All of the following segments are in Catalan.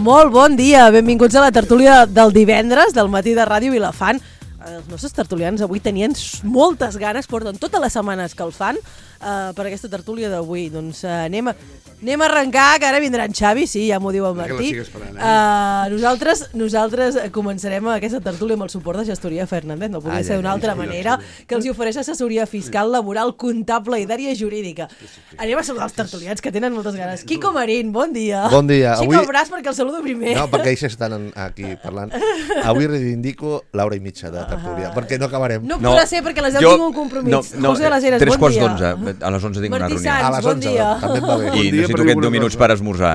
Molt bon dia, benvinguts a la tertúlia del divendres del matí de Ràdio Vilafant. Els nostres tertulians avui tenien moltes ganes, porten totes les setmanes que el fan per aquesta tertúlia d'avui. Doncs anem a arrencar, que ara vindrà en Xavi, sí, ja m'ho diu el Martí. Nosaltres començarem aquesta tertúlia amb el suport de Gestoria Fernández, no podia ser d'una altra manera, que els ofereix assessoria fiscal, laboral, comptable i d'àrea jurídica. Anem a saludar els tertulians, que tenen moltes ganes. Quico Marín, bon dia. Bon dia. Aixeca el braç perquè el saludo primer. No, perquè ells estan aquí parlant. Avui reivindico l'hora i mitja de tertúlia, perquè no acabarem. No podrà ser perquè a les 10 tinc un compromís. José de les Heres, bon dia. 3:45, a les 11 tinc una reunió. Martí Sans, bon dia. També em va bé. I necessito aquests 10 minuts per esmorzar,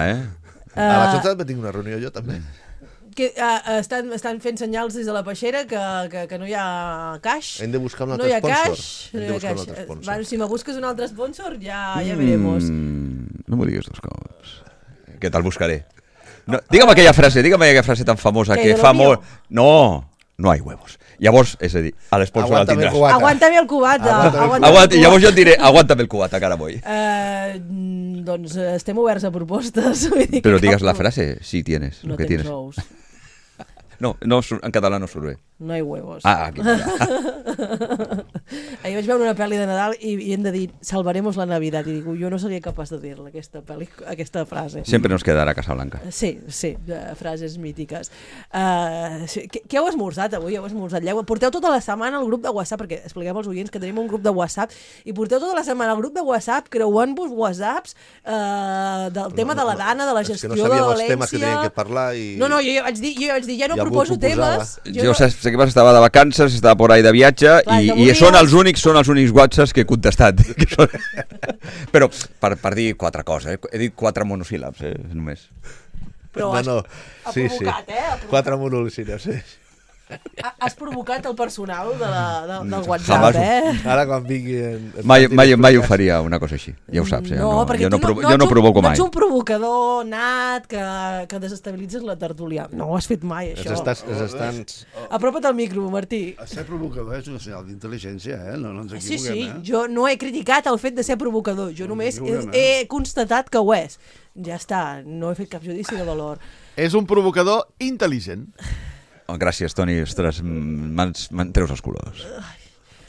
A les 11 també tinc una reunió jo, també. Estan fent senyals des de la peixera que no hi ha caix. Hem de buscar un No altre hi ha sponsor. caix. No hi ha caix. Si me busques un altre sponsor, ja veremos. No m'ho diguis dos cops. Que te'l buscaré. Digue'm aquella frase tan famosa que fa molt... No hay huevos. Llavors, és a dir, a l'esponsor el tindràs. Aguántame el cubata. Llavors jo et diré, aguántame el cubata, cara voy. Doncs estem oberts a propostes. Però digues la frase, si tienes. No tens ous. No, en català no surt bé. No hay huevos. Aquí va. Ahir vaig veure una pel·li de Nadal i hem de dir salvaremos la Navidad. I digo, jo no seria capaç de dir-la, aquesta frase. Sempre nos quedarà Casablanca. Sí, frases mítiques. Què heu esmorzat avui? Porteu tota la setmana al grup de WhatsApp, perquè expliquem als oients que tenim un grup de WhatsApp, i porteu tota la setmana al grup de WhatsApp creuant-vos WhatsApps del tema de la Dana, de la gestió de València... És que no sabíem els temes que teníem que parlar i... No, jo ja vaig dir, ja no proposo temes... Jo sé que estava de vacances, estava por ahí de viatge i són els únics WhatsApps que he contestat. Però per dir 4 coses, he dit 4 monosíl·labs, només. Però ha provocat, 4 monosíl·labs, sí. Has provocat el personal del WhatsApp, Ara quan vinguin... Mai ho faria una cosa així, ja ho saps. Jo no provoco mai. No ets un provocador nat que desestabilitzes la tertúlia. No ho has fet mai, això. Apropa't al micro, Martí. Ser provocador és un senyal d'intel·ligència, no ens equivoquem. Sí, jo no he criticat el fet de ser provocador, jo només he constatat que ho és. Ja està, no he fet cap judici de valor. És un provocador intel·ligent. Gràcies, Toni. Ostres, me'n treus els colors.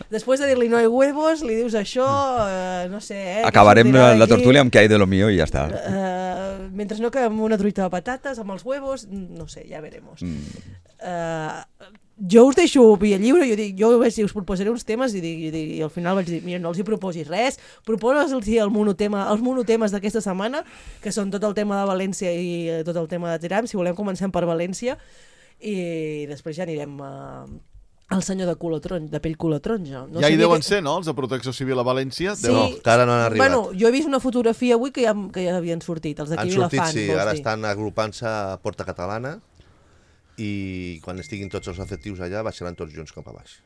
Després de dir-li no hay huevos, li dius això, no sé... Acabarem la tertúlia amb que hay de lo mío i ja està. Mentre no que amb una truita de patates, amb els huevos, no sé, ja veremos. Jo us deixo via lliure, jo us proposaré uns temes i al final vaig dir, mira, no els hi proposis res, proposa'ls els monotemes d'aquesta setmana, que són tot el tema de València i tot el tema de Tiram. Si volem comencem per València i després ja anirem al senyor de pell color taronja. Ja hi deuen ser, no?, els de Protecció Civil a València? Sí. No, que ara no han arribat. Bueno, jo he vist una fotografia avui que ja havien sortit, els d'aquí Vilafant. Han sortit, sí, ara estan agrupant-se a Porta Catalana i quan estiguin tots els efectius allà baixaran tots junts cap a baix.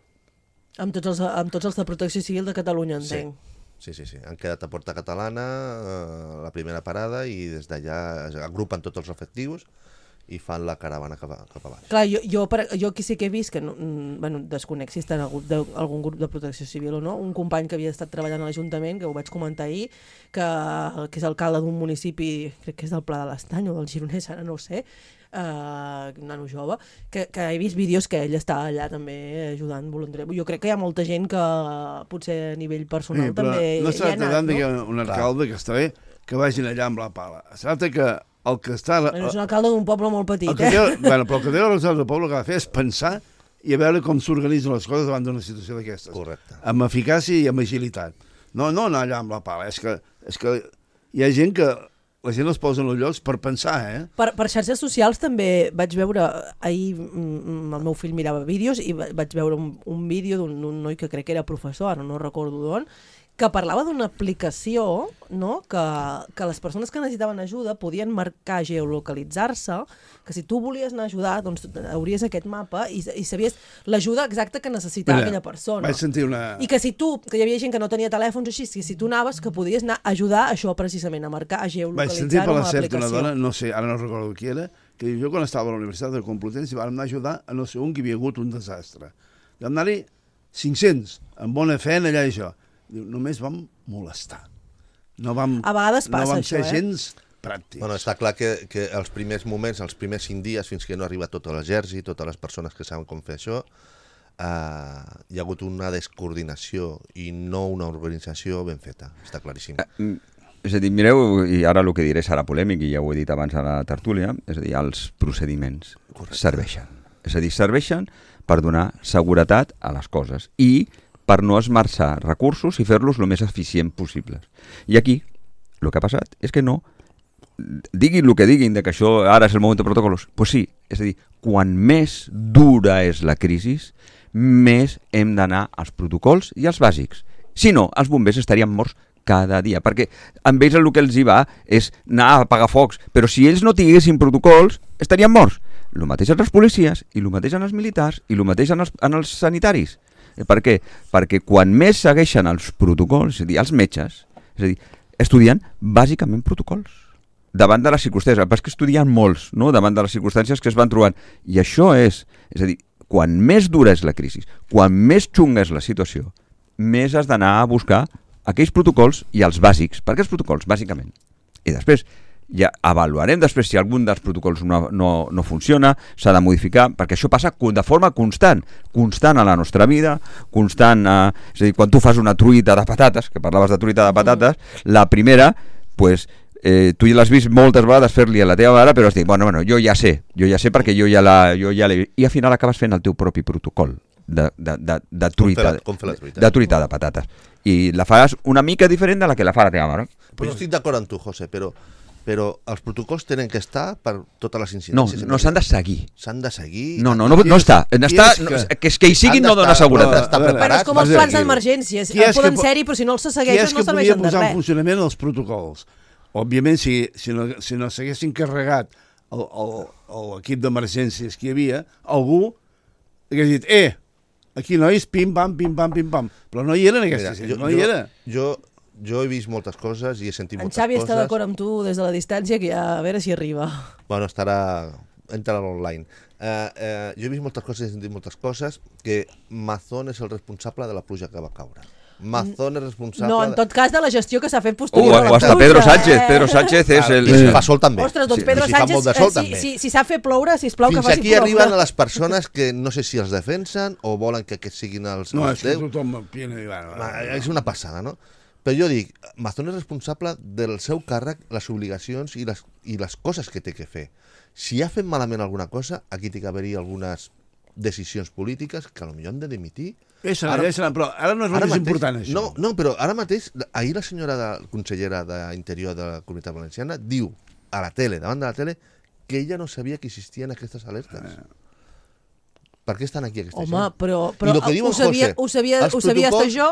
Amb tots els de Protecció Civil de Catalunya, entenc. Sí. Han quedat a Porta Catalana, la primera parada, i des d'allà agrupen tots els efectius i fan la caravana cap a baix. Clar, jo aquí sí que he vist que, desconec si està en algun grup de Protecció Civil o no, un company que havia estat treballant a l'Ajuntament, que ho vaig comentar ahir, que és alcalde d'un municipi, crec que és del Pla de l'Estany o del Gironès, ara no ho sé, un nano jove, que he vist vídeos que ell està allà també ajudant voluntari. Jo crec que hi ha molta gent que potser a nivell personal també no hi ha anat, no? Un alcalde que està bé que vagin allà amb la pala. Es tracta que el que està... És un alcalde d'un poble molt petit, però el que té l'alcalde del poble que ha de fer és pensar i a veure com s'organitzen les coses davant d'una situació d'aquestes. Correcte. Amb eficàcia i amb agilitat. No anar allà amb la pala. És que hi ha gent que la gent es posa en els llocs per pensar, Per xarxes socials també vaig veure, ahir el meu fill mirava vídeos i vaig veure un vídeo d'un noi que crec que era professor, ara no recordo d'on, que parlava d'una aplicació, no?, que les persones que necessitaven ajuda podien marcar, geolocalitzar-se, que si tu volies anar a ajudar, doncs hauries aquest mapa i sabies l'ajuda exacta que necessitava aquella persona. Vaig sentir una... I que si tu, que hi havia gent que no tenia telèfons així, que si tu anaves, que podies anar a ajudar això precisament, a marcar, a geolocalitzar-ho amb l'aplicació. Vaig sentir per la certa una dona, no sé, ara no recordo qui era, que diu, jo quan estava a la Universitat de Complutense vam anar a ajudar a no sé on que hi havia hagut un desastre. Vam anar-hi 500, amb bona fe en allà i això. Diu, només vam molestar. No vam, a vegades passa no vam ser gens pràctics. Bueno, està clar que els primers moments, els primers 5 dies, fins que no arriba tot l'exèrcit, totes les persones que saben com fer això, hi ha hagut una descoordinació i no una organització ben feta, està claríssim. És a dir, mireu, i ara el que diré serà polèmic, i ja ho he dit abans a la tertúlia, és a dir, els procediments serveixen. És a dir, serveixen per donar seguretat a les coses i per no esmerçar recursos i fer-los el més eficient possible. I aquí, el que ha passat és que no, diguin el que diguin, que això ara és el moment de protocols, doncs sí, és a dir, quan més dura és la crisi, més hem d'anar als protocols i als bàsics. Si no, els bombers estarien morts cada dia, perquè amb ells el que els hi va és anar a apagar focs, però si ells no tinguessin protocols, estarien morts. El mateix en els policies, i el mateix en els militars, i el mateix en els sanitaris. Per què? Perquè quan més segueixen els protocols, és a dir, els metges, és a dir, estudien bàsicament protocols davant de les circumstàncies. El pas que estudien molts, no?, davant de les circumstàncies que es van trobant. I això és a dir, quan més dura és la crisi, quan més xunga és la situació, més has d'anar a buscar aquells protocols i els bàsics. Per què els protocols? Bàsicament. I després ja avaluarem després si algun dels protocols no funciona, s'ha de modificar, perquè això passa de forma constant a la nostra vida, constant, és a dir, quan tu fas una truita de patates, que parlaves de truita de patates, la primera, pues, tu ja l'has vist moltes vegades fer-li a la teva mare, però has dit, bueno, jo ja sé perquè jo ja l'he vist, i al final acabes fent el teu propi protocol de truita de patates, i la faràs una mica diferent de la que la fa la teva mare. Però estic d'acord amb tu, José, però els protocols tenen que estar per totes les incidències. No, s'han de seguir. S'han de seguir. No està. Que hi siguin no dona seguretat. Però és com els plans d'emergències. Poden ser-hi, però si no els segueixen no serveixen de res. Qui és que podia posar en funcionament els protocols? Òbviament, si no s'haguessin carregat l'equip d'emergències que hi havia, algú hagués dit, aquí nois, pim-pam, pim-pam, pim-pam. Però no hi eren aquestes, no hi era. Jo he vist moltes coses i he sentit moltes coses. En Xavi està d'acord amb tu des de la distància, que a veure si arriba. Bueno, entrarà online. Jo he vist moltes coses i he sentit moltes coses, que Mazón és el responsable de la pluja que va caure. Mazón és responsable... No, en tot cas de la gestió que s'ha fet posterior a la pluja. O hasta Pedro Sánchez. Pedro Sánchez és el... I si fa sol també. Ostres, doncs Pedro Sánchez, si s'ha fet ploure, sisplau que faci ploure. Fins aquí arriben a les persones que no sé si els defensen o volen que siguin els... No, és que tothom... És una passada, no? Però jo dic, Mazón és responsable del seu càrrec, les obligacions i les coses que té que fer. Si ha fet malament alguna cosa, aquí té que haver-hi algunes decisions polítiques que potser han de dimitir. Però ara no és el més important, això. No, però ara mateix, ahir la senyora consellera d'Interior de la Comunitat Valenciana diu a la tele, davant de la tele, que ella no sabia que existien aquestes alertes. Per què estan aquí aquesta gent? Home, però ho sabia hasta jo?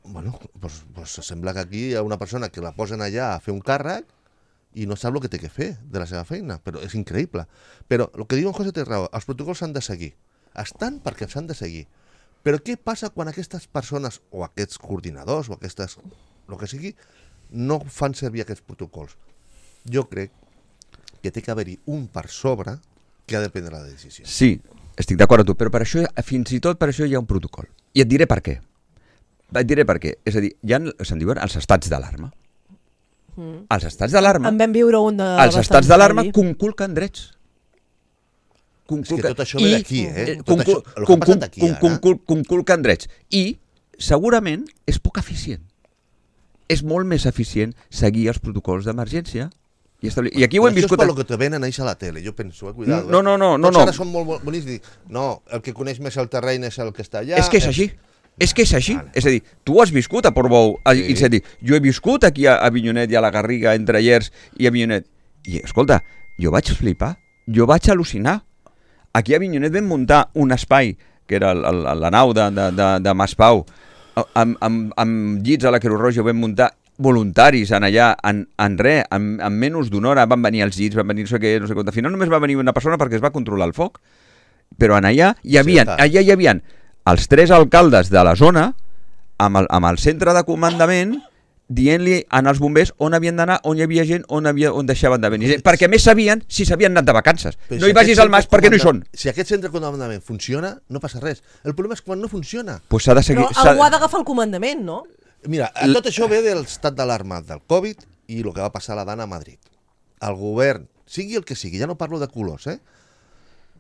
Bueno, doncs sembla que aquí hi ha una persona que la posen allà a fer un càrrec i no sap el que té que fer de la seva feina, però és increïble. Però el que diu en José té raó, els protocols s'han de seguir. Estan perquè s'han de seguir. Però què passa quan aquestes persones, o aquests coordinadors, o aquestes, el que sigui, no fan servir aquests protocols? Jo crec que té que haver-hi un per sobre que ha de prendre la decisió. Sí, estic d'acord amb tu, però per això, fins i tot per això hi ha un protocol. I et diré per què. És a dir, se'n diuen els estats d'alarma. Els estats d'alarma... En vam viure un de... Els estats d'alarma conculquen drets. És que tot això ve d'aquí, Tot això, el que ha passat aquí ara... Conculquen drets. I segurament és poc eficient. És molt més eficient seguir els protocols d'emergència. I aquí ho hem viscut... Això és per lo que te venen a la tele, jo penso, cuidado. No. Tots ara són molt bonics i dic, no, el que coneix més el terreny és el que està allà... És que és així. Vale. És a dir, tu has viscut a Portbou, sí. És a dir, jo he viscut aquí a Avinyonet i a la Garriga, entre Llers i Avinyonet. I, escolta, jo vaig flipar, jo vaig al·lucinar. Aquí a Avinyonet vam muntar un espai, que era la nau de Maspau, amb llits a la Creu Roja, vam muntar voluntaris en allà, en menys d'una hora van venir els llits, van venir no sé què, al final només va venir una persona perquè es va controlar el foc, però en allà hi havia els 3 alcaldes de la zona amb el centre de comandament dient-li als bombers on havien d'anar, on hi havia gent, on deixaven de venir gent, perquè més sabien si s'havien anat de vacances. Però no hi vagis al mas perquè no hi són. Si aquest centre de comandament funciona, no passa res. El problema és quan no funciona. Pues s'ha de seguir, però algú ha d'agafar el comandament, no? Mira, tot això ve de l'estat d'alarma del Covid i el que va passar a la Dana a Madrid. el govern, sigui el que sigui, ja no parlo de colors,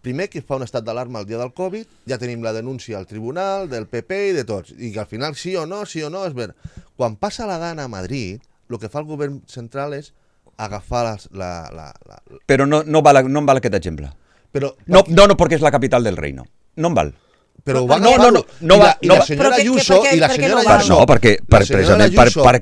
primer que fa un estat d'alarma el dia del Covid, ja tenim la denúncia al tribunal, del PP i de tots, i que al final sí o no, és ver. Quan passa la gana a Madrid, el que fa el govern central és agafar Però no em val aquest exemple. Però, No, perquè és la capital del reino. No em val. però ho va agafar-lo. I la senyora Ayuso,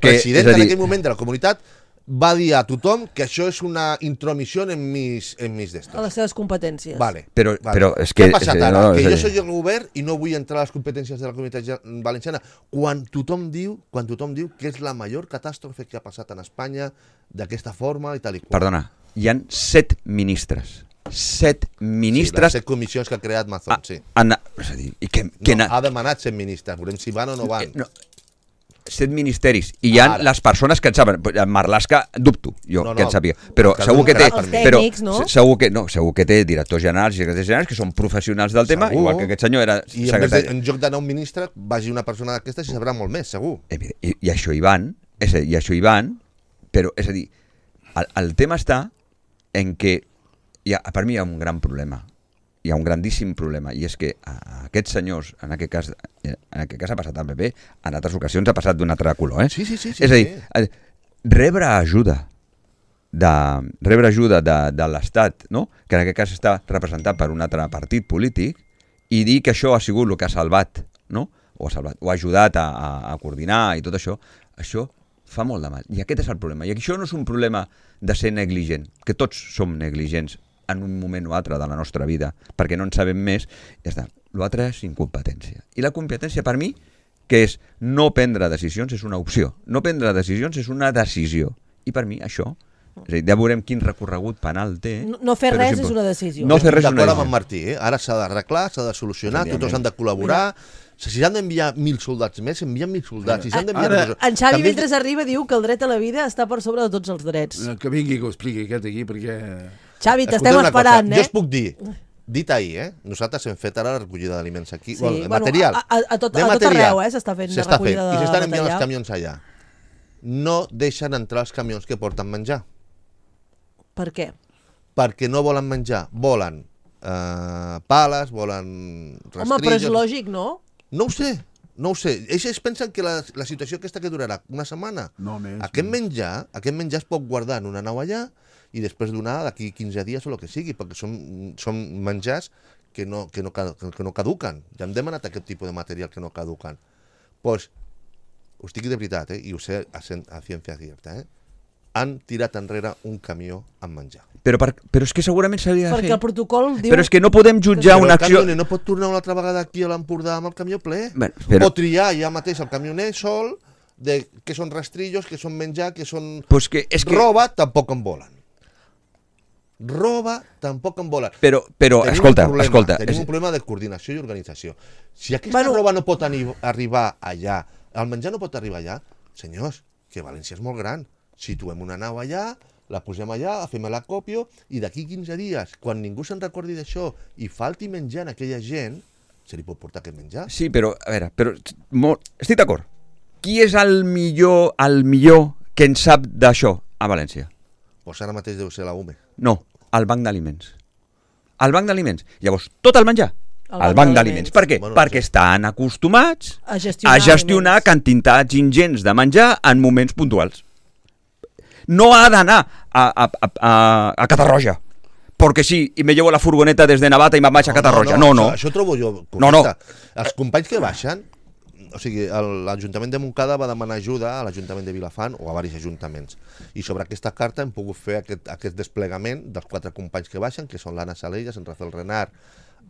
president en aquell moment de la comunitat, va dir a tothom que això és una intromissió en mis d'estos. A les seves competències. Vale. Però és que... Què ha passat ara? no, Que és a jo dir- soy el govern i no vull entrar a les competències de la comunitat valenciana quan tothom diu que és la major catàstrofe que ha passat en Espanya d'aquesta forma i tal i qual. Perdona, hi han 7 ministres. 7 Sí, ministres... les 7 comissions que ha creat Mazón, sí. És a dir, i que No, ha demanat 7 ministres, veurem si van o no van. no, 7 ministeris, i hi ha Ara. les persones que en saben. Marlaska, dubto, jo, No, que en no, sàpiga. Però que segur que té... els Però tècnics, no? segur que té directors generals i secretaris generals que són professionals del tema, Segur. igual que aquest senyor era I secretari. en lloc d'anar un ministre, vagi una persona d'aquestes i sabrà molt més, segur. I això hi van, però, és a dir, el tema està en què per mi hi ha un gran problema, hi ha un grandíssim problema, i és que a aquests senyors, en aquest cas ha passat al PP, en altres ocasions ha passat d'un altre color, Sí. És a dir, rebre ajuda de l'Estat, no? Que en aquest cas està representat per un altre partit polític, i dir que això ha sigut el que ha salvat, no? O ha ajudat a coordinar i tot això fa molt de mal. I aquest és el problema. I això no és un problema de ser negligent, que tots som negligents en un moment o altre de la nostra vida, perquè no en sabem més, ja està. L'altre és incompetència. I la competència, per mi, que és no prendre decisions, és una opció. No prendre decisions és una decisió. I per mi, això, és a dir, ja veurem quin recorregut penal té. No fer però res sempre- és una decisió. No fer res és una D'acord amb decisió. en Martí, Ara s'ha d'arreglar, s'ha de solucionar, Evidentment. tots han de col·laborar. Si s'han d'enviar 1.000 soldats més, envien 1.000 soldats. Si s'han d'enviar... Ara- En Xavi, També- mentre arriba, diu que el dret a la vida està per sobre de tots els drets. Que vingui que ho expliqui aquest aquí, perquè... Xavi, t'estem Escolteu una cosa, esperant, Jo us puc dir, dit ahir, nosaltres hem fet ara la recollida d'aliments aquí, Sí, material. a tot de arreu, s'està fent S'està recollida i de s'estan enviant els material. camions allà. No deixen entrar els camions que porten menjar, Per què? perquè no volen menjar, volen pales, volen rastrillos... Home, però és lògic, no? No ho sé. Ells pensen que la situació aquesta que durarà una setmana. No més. Aquest menjar es pot guardar en una nau allà i després donar d'aquí 15 dies o el que sigui, perquè són menjars que no caduquen. Ja hem demanat aquest tipus de material que no caduquen. Doncs, us dic de veritat, i ho sé a ciència cierta, han tirat enrere un camió amb menjar. Però és que segurament s'hauria de fer. Perquè el protocol diu... Però és que no podem jutjar Però una el acció... camioner no pot tornar una altra vegada aquí a l'Empordà amb el camió ple. Bueno, però- O triar ja mateix el camioner sol de què són rastrillos, què són menjar, què són... Pues que, és que... Roba tampoc en volen. Roba tampoc en volen. Però Tenim escolta, un problema, escolta. Tenim un problema de coordinació i organització. Si aquesta Bueno. roba no pot arribar allà, el menjar no pot arribar allà, senyors, que València és molt gran. Situem una nau allà, la posem allà, fem l'acòpio, i d'aquí 15 dies, quan ningú se'n recordi d'això i falti menjar a aquella gent, se li pot portar aquest menjar. Sí, però, a veure, estic d'acord. Qui és el millor que en sap d'això a València? Doncs ara mateix deu ser la UME. No, el Banc d'Aliments. El Banc d'Aliments. Llavors, tot el menjar. El El Banc Banc d'Aliments. d'Aliments. Per què? Bueno, Perquè sí. estan acostumats A gestionar a gestionar aliments. quantitats ingents de menjar en moments puntuals. No ha d'anar a Catarroja. Perquè sí, i me llevo la furgoneta des de Navata i me'n vaig a Catarroja. No. Això trobo jo correcte. No. Els companys que baixen, o sigui, l'Ajuntament de Montcada va demanar ajuda a l'Ajuntament de Vilafant o a diversos ajuntaments. I sobre aquesta carta hem pogut fer aquest desplegament dels 4 companys que baixen, que són l'Anna Salelles, en Rafael Renard,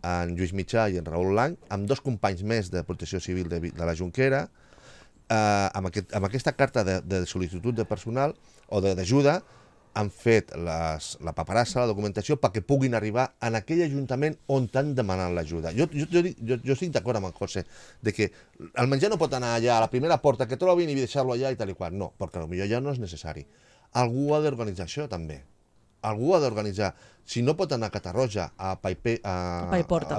en Lluís Mitjà i en Raül Lang, amb 2 companys més de Protecció Civil de la Jonquera, amb aquesta carta de sol·licitud de personal o d'ajuda han fet la paperassa, la documentació, perquè puguin arribar en aquell ajuntament on t'han demanat l'ajuda. Jo estic d'acord amb el José, de que el menjar no pot anar allà a la primera porta que trobin i deixar-lo allà i tal i qual. No, perquè potser ja no és necessari. Algú ha d'organitzar això, també. Algú ha d'organitzar. Si no pot anar a Catarroja, a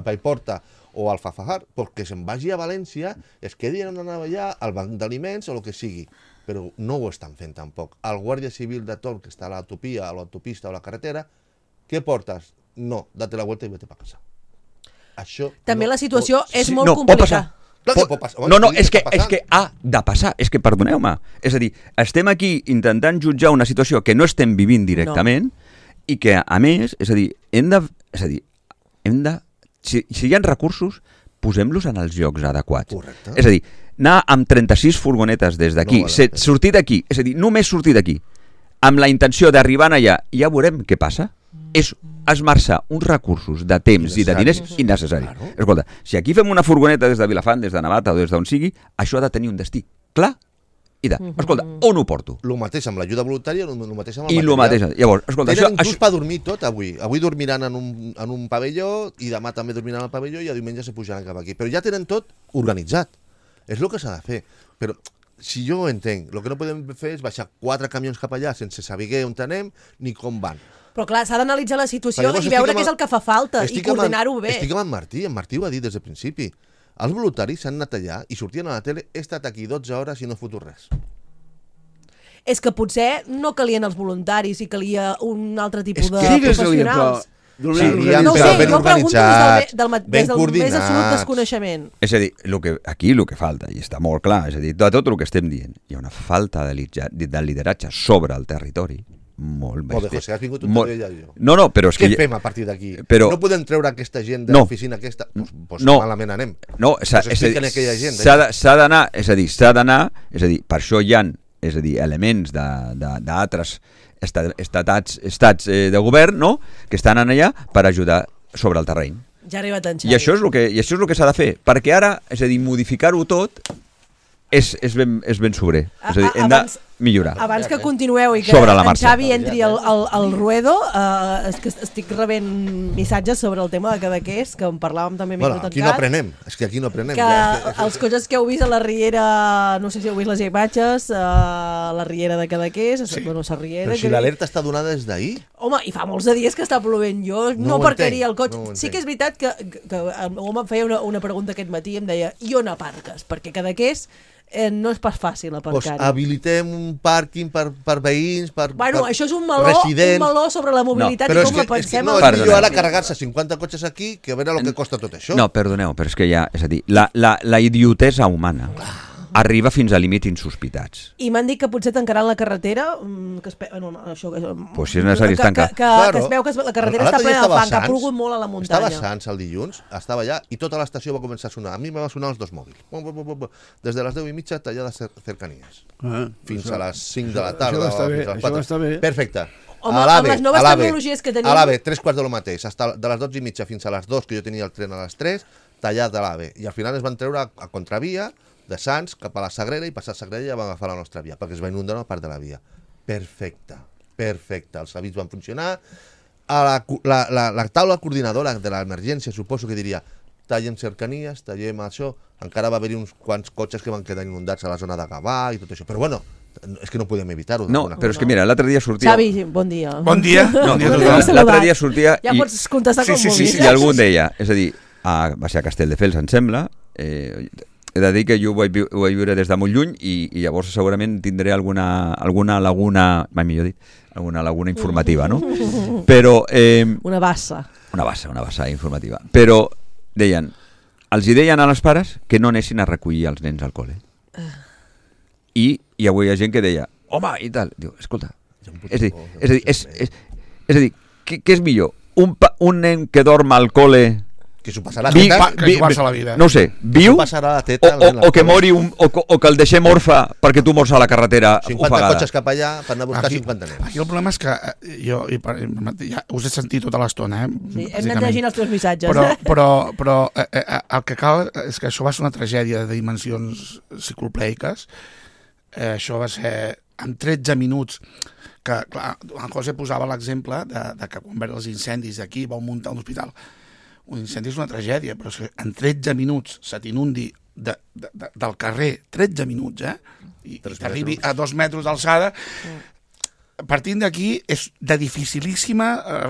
Paiporta o al Fafajar, perquè se'n vagi a València, es quedi en una allà al banc d'aliments o el que sigui. però no ho estan fent tampoc. El guàrdia civil de torn, que està a l'autopia, a l'autopista o a la carretera, què portes? No, date la vuelta i vete pa casa. Això També no la situació pot és ser. molt pot complicada. Clar que pot passar. No, Sí, és que està passant. ha de passar. És que, perdoneu-me, és a dir, estem aquí intentant jutjar una situació que no estem vivint directament i que, a més, és a dir, hem de si hi ha recursos, posem-los en els llocs adequats. Correcte. És a dir, anar amb 36 furgonetes des d'aquí, No vale la pena. sortir d'aquí, és a dir, només sortir d'aquí, amb la intenció d'arribar allà, ja veurem què passa, és esmerçar uns recursos de temps i de diners innecessaris. Claro. Escolta, si aquí fem una furgoneta des de Vilafant, des de Navata o des d'on sigui, això ha de tenir un destí clar i de, escolta, on ho porto? El mateix amb l'ajuda voluntària, el mateix amb el I el material. mateix. Llavors, escolta, Tenen inclús això per dormir tot avui. Avui dormiran en un pavelló i demà també dormiran al pavelló i a diumenge se pujaran cap aquí. Però ja tenen tot organitzat. És el que s'ha de fer. Però si jo ho entenc, el que no podem fer és baixar 4 camions cap allà sense saber on anem ni com van. Però clar, s'ha d'analitzar la situació Però llavors i veure estic què és el que fa falta i estic amb coordinar-ho bé. Estic amb en Martí ho va dir des del principi. Els voluntaris s'han anat allà i sortien a la tele, he estat aquí 12 hores i no he fotut res. És que potser no calien els voluntaris i calia un altre tipus És de que Digues-li, però... professionals. Serien, No ho però sé, ben jo pregunto organitzats, des del ben més absolut coordinats. desconeixement. És a dir, aquí el que falta, i està molt clar, és a dir, de tot el que estem dient, hi ha una falta de lideratge sobre el territori molt Molt bé, bèstia. José, has vingut un Molt- dia jo. No, però és Què que... fem a partir d'aquí? Però- No podem treure aquesta gent de No. l'oficina aquesta? Doncs No. malament anem. No, Pues expliquen a aquella gent, s'ha d'anar, és a dir, per això hi ha, és a dir, elements d'altres estats de govern, no?, que estan allà per ajudar sobre el terreny. Ja ha arribat en I això és el que s'ha de fer, perquè ara, és a dir, modificar-ho tot és ben sobrer. És a dir, hem de Abans- millorar. Abans que continueu i que Sobre la en marxa. Xavi entri al ruedo, és que estic rebent missatges sobre el tema de Cadaqués, que en parlàvem també Bueno, Micro aquí no Tancat, aprenem. És que aquí no aprenem. que els cotxes que heu vist a la Riera, no sé si heu vist les imatges, a la Riera de Cadaqués, bueno, la Riera... Però si l'alerta està donada des d'ahir. Home, i fa molts de dies que està plovent. Jo no ho aparcaria entenc, el cotxe. no ho Sí entenc. que és veritat que l'home em feia una pregunta aquest matí i em deia, i on aparques? Perquè Cadaqués no és pas fàcil Pues aparcar-hi. habilitem un pàrquing per veïns, Bueno, per això és un meló residents. sobre la mobilitat Però i és com que, la pensem. no, en és Perdoneu. millor ara carregar-se 50 cotxes aquí que a veure el que costa tot això. No, perdoneu, però és que ja, és a dir, la idiotesa humana arriba fins a límits insospitats. I m'han dit que potser tancaran la carretera, que això... Pues si és necessari, es tanca. Que es veu que la carretera està L'altre dia plena de estava fang, que ha Sants, plogut molt a la muntanya. Estava Sants el dilluns, estava allà i tota l'estació va començar a sonar. A mi me va sonar els dos mòbils. Des de les 10:30 tallades cercanies. Fins a les 5 de la tarda. Això està o bé, fins a les això 4. està bé. Perfecte. Home, A l'AVE, amb les noves a l'AVE, tecnologies que tenim- A l'AVE, 3 quarts de lo mateix. De les 12:30 fins a les 2, que jo tenia el tren a les 3, tallat de l'AVE. I al final es van treure a contravia de Sants cap a la Sagrera i passar a Sagrera ja van agafar la nostra via, perquè es va inundar una part de la via. Perfecte. Els avís van funcionar. La taula coordinadora de l'emergència suposo que diria tallem cercanies, tallem això. Encara va haver-hi uns quants cotxes que van quedar inundats a la zona de Gavà i tot això. Però bueno, és que no podem evitar-ho. No, d'alguna però és que mira, l'altre dia sortia... Xavi, bon dia. Bon dia. Bon dia a Bon tothom. dia. L'altre dia sortia... Ja pots contestar com vulguis. I algú deia, és a dir, va ser a Castelldefels, em sembla, he de dir que jo ho vaig viure des de molt lluny i llavors segurament tindré alguna laguna, mai millor dit, alguna laguna informativa, no? Però... Una bassa. Una bassa informativa. Però els hi deien a les pares que no anessin a recollir els nens al col·le. I avui hi ha gent que deia, home, i tal. Diu, escolta, és a dir, què és millor? Un nen que dorm al col·le que s'ho passarà Vi- teta, que jugar-se la vida. no ho sé, viu s'ho passarà la teta al nen o al que col·le. mori o que el deixem orfe perquè tu mors a la carretera 50 ofegada. cotxes cap allà per anar a buscar 50 nens. Aquí el problema és que jo ja us he sentit tota l'estona, Sí, hem anat llegint els teus missatges. però el que cal és que això va ser una tragèdia de dimensions ciclopleiques. Això va ser en 13 minuts que, clar, en José posava l'exemple de que quan veure els incendis d'aquí vau muntar un hospital. Un incendi és una tragèdia, però és que en 13 minuts se t'inundi del carrer, 13 minuts, i t'arribi a 2 metres d'alçada. Partint d'aquí és de dificilíssima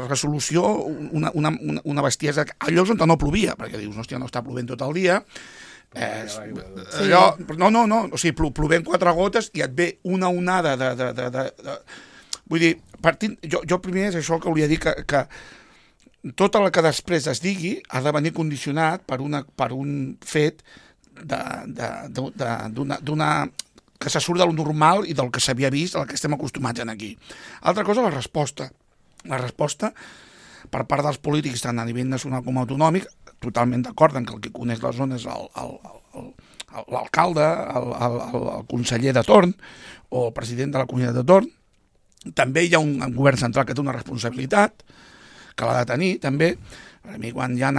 resolució una bestiesa a llocs on no plovia, perquè dius, hòstia, no està plovent tot el dia, No, o sigui, plovent 4 gotes i et ve una onada vull dir, partint, jo primer és això que volia dir, que tot el que després es digui ha de venir condicionat per un fet d'una que se surt del normal i del que s'havia vist, al que estem acostumats aquí. Altra cosa, la resposta. La resposta per part dels polítics, tant a nivell nacional com autonòmic, totalment d'acord en que el que coneix la zona és l'alcalde, el conseller de torn o el president de la comunitat de torn. També hi ha un govern central que té una responsabilitat, que l'ha de tenir, també. A mi, quan hi ha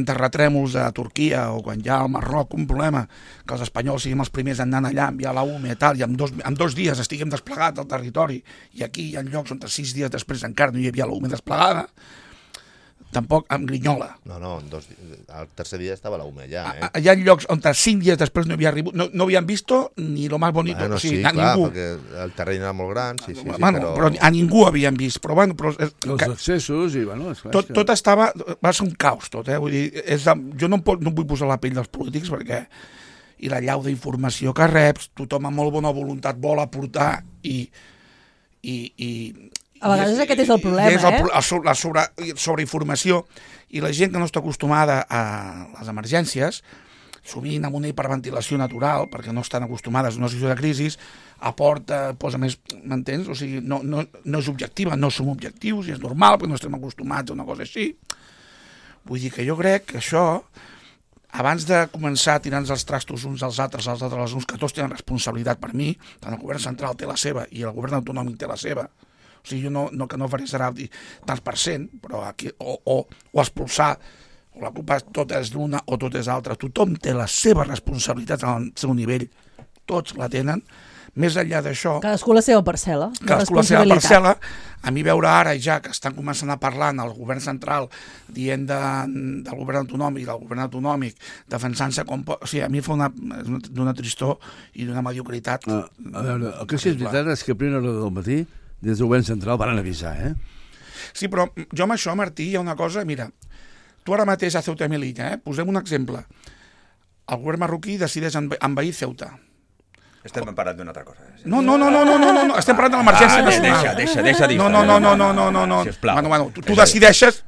terratrèmols a Turquia o quan hi ha al Marroc un problema, que els espanyols siguin els primers en anar allà, enviar la UME i tal, i en 2 dies estiguem desplegats al territori, i aquí hi ha llocs on 6 dies després encara no hi havia la UME desplegada, tampoc em grinyola. No, al tercer dia estava la UME ja, Hi ha llocs on 5 dies després no havia arribat, no havien visto ni lo más bonito. Bueno, o sigui, sí, clar, ningú. perquè el terreny era molt gran, sí, però a ningú havien vist. Però, els accessos i, tot va ser un caos, tot, Vull dir, jo no vull posar la pell dels polítics perquè i la llau d'informació que reps, tothom amb molt bona voluntat vol aportar i a vegades aquest és el problema, la sobreinformació i la gent que no està acostumada a les emergències, sovint amb una hiperventilació natural, perquè no estan acostumades a una situació de crisi, aporta, posa més, m'entens? O sigui, no és objectiva, no som objectius i és normal perquè no estem acostumats a una cosa així. Vull dir que jo crec que això, abans de començar a tirar-nos els trastos uns als altres, que tots tenen responsabilitat per mi, tant el govern central té la seva i el govern autonòmic té la seva. O sigui, jo que no faré serà tants %, però aquí, o expulsar, o la culpa tot és d'una o tot és altra. Tothom té les seves responsabilitats al seu nivell, tots la tenen. Més enllà d'això... Cadascú la seva parcel·la. Cadascú la seva parcel·la. A mi veure ara ja que estan començant a parlar el govern central dient del govern autonòmic defensant-se com... O sigui, a mi fa d'una tristor i d'una mediocritat. A veure, el que sí és veritat és que a primera hora del matí des del govern central van avisar, Sí, però jo amb això, Martí, hi ha una cosa... Mira, tu ara mateix a Ceuta i Melilla, posem un exemple. El govern marroquí decideix envair Ceuta. Estem parlant d'una altra cosa. No, estem parlant de l'emergència nacional. Deixa dir. No. Bueno, tu decideixes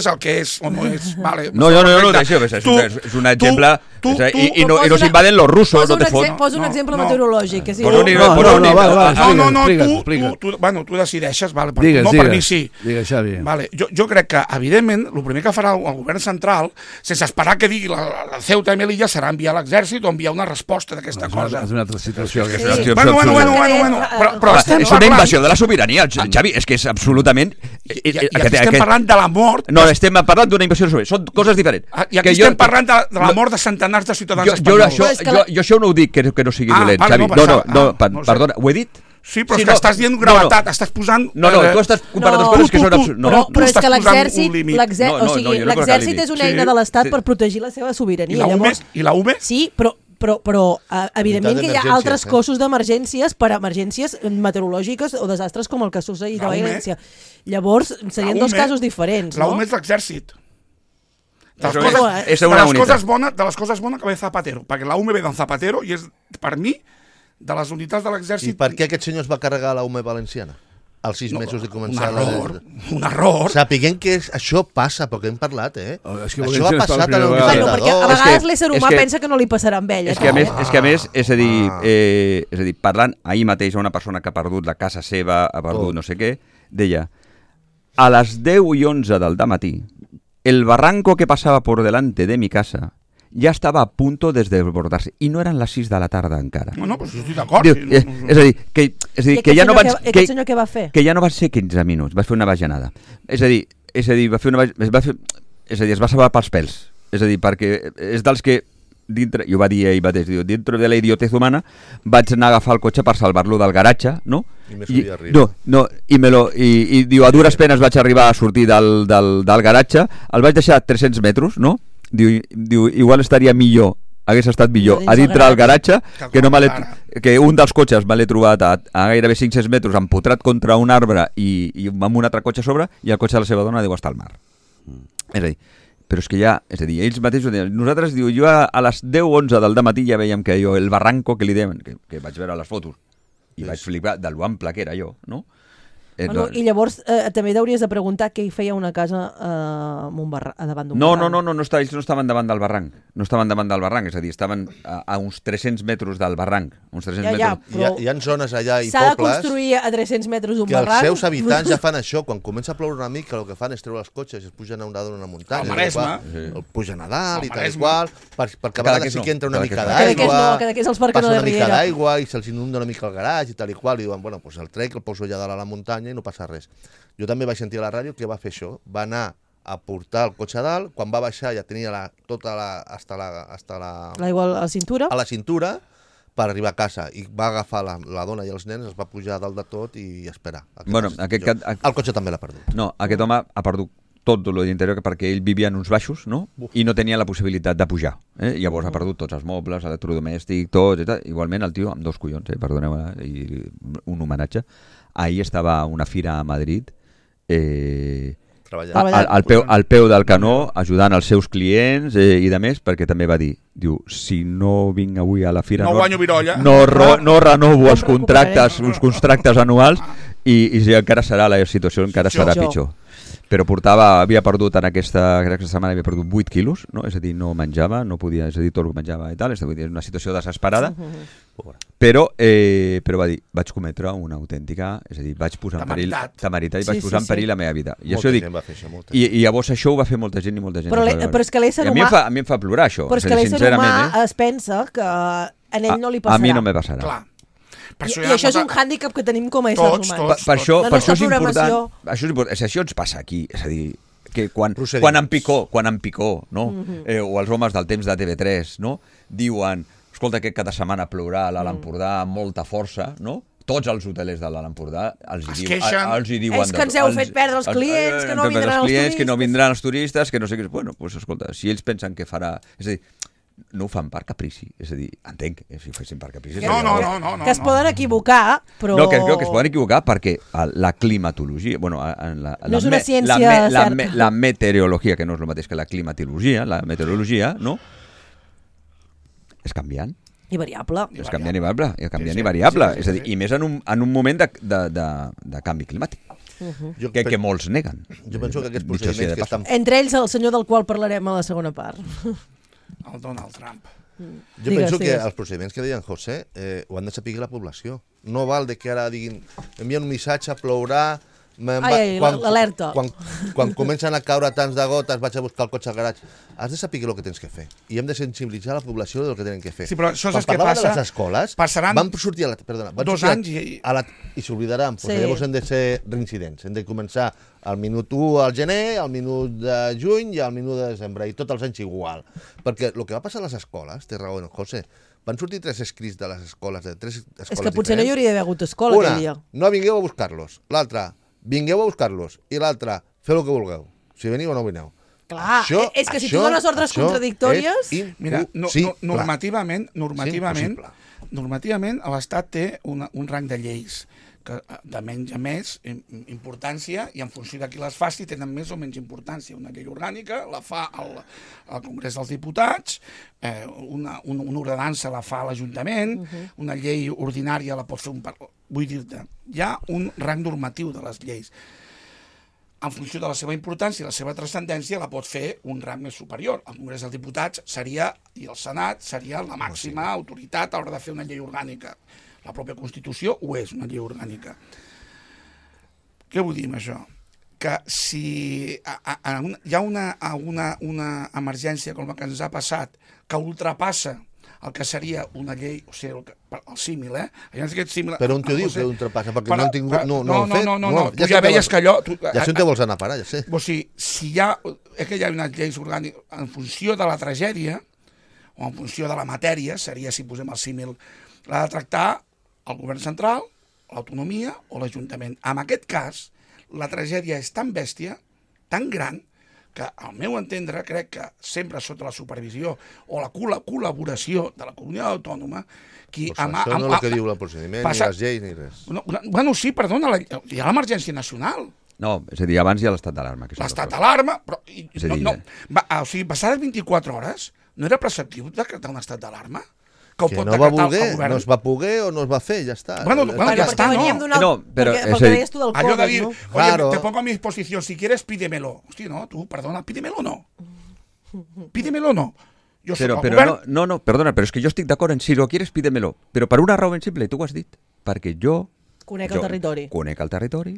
el que és o no és. Vale, no, deixa, és un exemple. I nos invaden los rusos, no te fot. Posa un exemple meteorològic. Tu decideixes, no per mi sí. Digues, Xavi. Jo crec que, evidentment, el primer que farà el govern central, sense esperar que digui la Ceuta i Melilla, serà enviar l'exèrcit o enviar una resposta d'aquesta cosa. És una altra situació. Bueno, però és una invasió de la sobirania, Xavi, és que és absolutament... I aquí estem parlant de la mort... No, estem parlant d'una invasió de sobirania, són coses diferents. I aquí estem parlant de la mort de centenars de ciutadans espanyols. Jo això no ho dic que no sigui dolent, Xavi. No, perdona, ho he dit? Sí, però és que estàs dient gravetat, estàs posant... No, tu estàs comparant dues coses que són absurdes. Però és que l'exèrcit és una eina de l'Estat per protegir la seva sobirania. I la UME? Sí, però evidentment que hi ha altres cossos d'emergències per emergències meteorològiques o desastres com el que succeït a València. Llavors, serien dos casos diferents, no? La UME és l'exèrcit. De les coses bones que ve Zapatero, perquè la UME ve d'en Zapatero i és, per mi, de les unitats de l'exèrcit... I per què aquest senyor es va carregar la UME valenciana? Als 6 mesos de començar... Un error. Sapiguem que això passa, perquè hem parlat, Això ha passat a la perquè a vegades l'ésser humà pensa que no li passarà amb ell. És que a més, és a dir, parlant ahir mateix a una persona que ha perdut la casa seva, ha perdut no sé què, deia, a les 10 i 11 del dematí, el barranco que passava por delante de mi casa ja estava a punto de desbordarse i no eren les 6 de la tarda encara. No, però estic d'acord. És a dir, que ja no van... Aquest senyor què va fer? Que ja no van ser 15 minuts, va fer una bajanada. És a dir, va fer una es va salvar pels pèls. És a dir, perquè és dels que dintre, jo va dir ahir mateix, dintre de la idiotez humana vaig anar a agafar el cotxe per salvar-lo del garatge, no? I diu, a dures penes vaig arribar a sortir del garatge, el vaig deixar a 300 metres, no? Diu, igual estaria millor, hagués estat millor a dintre del garatge que un dels cotxes me l'he trobat a gairebé 500 metres empotrat contra un arbre i amb un altre cotxe a sobre i el cotxe de la seva dona deu estar al mar. És a dir, però és que ja, és a dir, ells mateixos deien, nosaltres, diu, jo a les 10-11 del dematí ja veiem que jo, el barranco que li deien, que vaig veure les fotos, i vaig flipar de lo ample que era jo, no? Bueno, I llavors també t'hauries de preguntar què hi feia una casa davant d'un barranc. No, ells no estaven davant del barranc. No estaven davant del barranc, és a dir, estaven a uns 300 metres del barranc. Uns 300 metres. Però hi ha zones allà i s'ha de pobles construir a 300 metres d'un que barranc. els seus habitants ja fan això. Quan comença a ploure una mica, el que fan és treure els cotxes i es pugen a una muntanya. Al Maresme. El pugen a dalt i tal i Maresme. qual, perquè a vegades sí que entra una mica Cada d'aigua, que és els parcs passa no una de mica Riera. d'aigua i se'ls inunda una mica el garatge i tal i qual, i diuen, bueno, pues el trec el poso allà dalt a la muntanya i no passa res. Jo també vaig sentir a la ràdio que va fer això, va anar a portar el cotxe a dalt, quan va baixar ja tenia L'aigua a la cintura? a la cintura per arribar a casa, i va agafar la dona i els nens, es va pujar a dalt de tot i esperar. Bueno, el cotxe també l'ha perdut. No, aquest home ha perdut tot lo d'interior perquè ell vivia en uns baixos, no? I no tenia la possibilitat de pujar. Llavors ha perdut tots els mobles, electrodomèstic, tot i tal. Igualment el tio amb 2 collons, perdoneu, i un homenatge. Ahir estava a una fira a Madrid al peu del canó, ajudant els seus clients i de més, perquè també va dir, diu, si no vinc avui a la fira no guanyo virolla, no renovo els contractes anuals i encara serà la situació, encara serà pitjor. Però havia perdut en aquesta setmana 8 quilos, no? És a dir, no menjava, no podia, és a dir, tot el que menjava i tal, és una situació desesperada, però va dir, vaig cometre una autèntica, és a dir, vaig posar en perill temeritat i vaig posar en perill la meva vida. I això dic, i llavors això ho va fer molta gent i molta gent. Però és que l'ésser humà... A mi em fa plorar això. Però és que l'ésser humà es pensa que a ell no li passarà. A mi no me passarà. Clar. I això és un hàndicap que tenim com a éssers humans. Per això és important. Això ens passa aquí, és a dir, que quan en Picó, no? O els homes del temps de TV3, no? Diuen, escolta, que cada setmana plourà a l'Alt Empordà amb molta força, no? Tots els hotelers de l'Alt Empordà els hi diuen... És que ens heu fet perdre els clients, que no vindran els turistes. Que no vindran els turistes, que no sé què... Bueno, doncs escolta, si ells pensen que farà... És a dir, no ho fan per caprici, és a dir, entenc, si ho fessin per caprici... No. Que es poden equivocar, però... No, que es poden equivocar perquè la climatologia... Bueno, no és una ciència certa. La meteorologia, que no és el mateix que la climatologia, la meteorologia, no? És canviant. I variable. És canviant i variable. És a dir, i més en un moment de canvi climàtic. Que molts neguen. Jo penso que aquests procediments que estan... Entre ells, el senyor del qual parlarem a la segona part. El Donald Trump. Jo penso que els procediments que deia en José ho han de saber la població. No val de que ara diguin, envien un missatge, plourà... L'alerta. Quan comencen a caure tants de gotes, vaig a buscar el cotxe al garatge. Has de saber el que tens que fer. I hem de sensibilitzar la població del que tenen que fer. Sí, però això és el que passa... de les escoles, van sortir dos anys i s'oblidaran. Sí. Llavors hem de ser reincidents. Hem de començar al minut 1 al gener, al minut de juny i al minut de desembre. I tots els anys igual. Perquè el que va passar a les escoles, té raó en José, van sortir 3 escrits de les escoles, de 3 escoles És que potser diferents. no hi hauria d'haver hagut escola aquell dia. No vingueu a buscar-los. L'altra, vingueu a buscar-los. I l'altre, feu el que vulgueu. Si veniu o no vineu. Clar, és que si tu dones ordres contradictòries... Mira, normativament l'Estat té un rang de lleis que de menys a més importància i en funció de qui les faci tenen més o menys importància. Una llei orgànica la fa el Congrés dels Diputats, una ordenança la fa l'Ajuntament, una llei ordinària la pot fer un... Vull dir-te, hi ha un rang normatiu de les lleis. En funció de la seva importància i la seva transcendència la pot fer un rang més superior. El Congrés dels Diputats seria, i el Senat seria la màxima autoritat a l'hora de fer una llei orgànica. La pròpia Constitució ho és, una llei orgànica. Què vull dir amb això? Que si hi ha una emergència com la que ens ha passat que ultrapassa el que seria una llei, o sigui, el símil, Però on t'ho diu que ultrapassa? Perquè no han tingut... No, tu ja veies que allò... Ja sé on te vols anar a parar, ja sé. O sigui, si hi ha... És que hi ha unes lleis orgàniques en funció de la tragèdia, o en funció de la matèria, seria, si posem el símil, l'ha de tractar el govern central, l'autonomia o l'Ajuntament. En aquest cas, la tragèdia és tan bèstia, tan gran, que al meu entendre crec que sempre sota la supervisió o la col·laboració de la comunitat autònoma qui això no és el que diu el procediment, ni les lleis, ni res. Bueno, sí, perdona, hi ha l'emergència nacional. No, és a dir, abans hi ha l'estat d'alarma. L'estat d'alarma, però... És a dir, o sigui, passades 24 hores, no era preceptiu decretar un estat d'alarma? Que no va voler, no es va poder o no es va fer, ja està. Bueno, ja està, no? No, però perquè deies tu del allò de dir, Covid, no? oye, Claro. te pongo a mi disposición, si quieres pídemelo. Hòstia, no, tu, perdona, pídemelo no. Pídemelo no. Jo soc el govern... no, perdona, però és que jo estic d'acord en si lo quieres, pídemelo. Però per una raó ben simple, tu ho has dit. Perquè jo... Conec el territori. Conec el territori,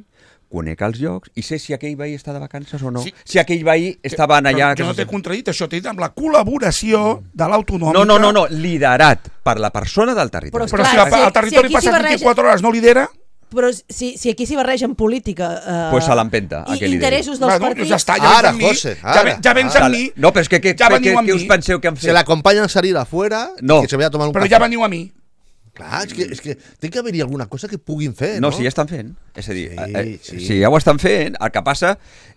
conec els llocs i sé si aquell veí està de vacances o no. Sí. Si aquell veí estaven allà... Jo no t'he contradit, això t'he dit amb la col·laboració de l'autonòmica... No, liderat per la persona del territori. Però si el territori passa 24 hores no lidera... Però si aquí s'hi barregen política... Pues se l'empenta, i aquell interessos dels partits... Ja està, Ara, José, ara. Ja vens amb mi. No, però és que què us penseu que han fet? Se l'acompanya a salir afuera No. i se ve a tomar un Però cafè. ja veniu a mi. Clar, és que té que haver-hi alguna cosa que puguin fer, No, no? si ja estan fent. És a dir, Sí. si ja ho estan fent, el que passa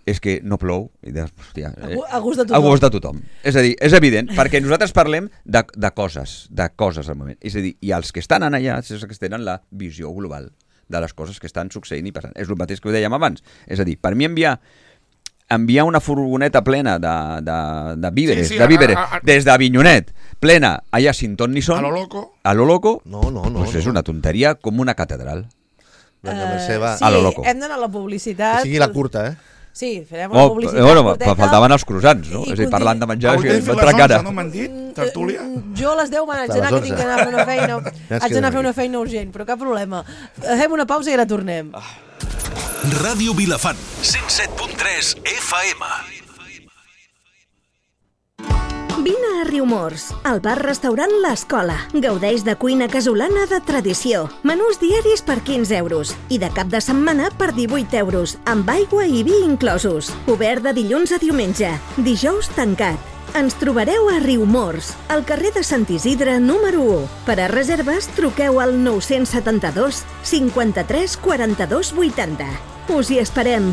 és que no plou. I dius, hòstia, A gust de tothom. A gust de tothom. És a dir, és evident, perquè nosaltres parlem de coses al moment. És a dir, i els que estan allà, és els que tenen la visió global de les coses que estan succeint i passant. És el mateix que ho dèiem abans. És a dir, per mi enviar una furgoneta plena de víveres, des d'Avinyonet, plena allà sin ton ni son, a lo loco, No. Pues és una tonteria com una catedral. Vinga, Mercè, va. Sí, A lo loco. hem d'anar a la publicitat. Que sigui la curta, eh? Sí, farem la publicitat curteta. Faltaven els croissants, no? És a dir, parlant de menjar, Avui que tenim m'entra les cara. 11, no m'han dit? Tertúlia? Jo a les 10 me n'haig d'anar, que tinc d'anar a fer una feina. Haig d'anar a fer una feina urgent, però cap problema. Fem una pausa i ara tornem. Ràdio Vilafant, 107.3 FM. Vine a Riumors, al bar-restaurant L'Escola. Gaudeix de cuina casolana de tradició. Menús diaris per 15 euros i de cap de setmana per 18 euros, amb aigua i vi inclosos. Obert de dilluns a diumenge, dijous tancat. Ens trobareu a Riumors, al carrer de Sant Isidre número 1. Per a reserves, truqueu al 972 53 42 80. Us hi esperem.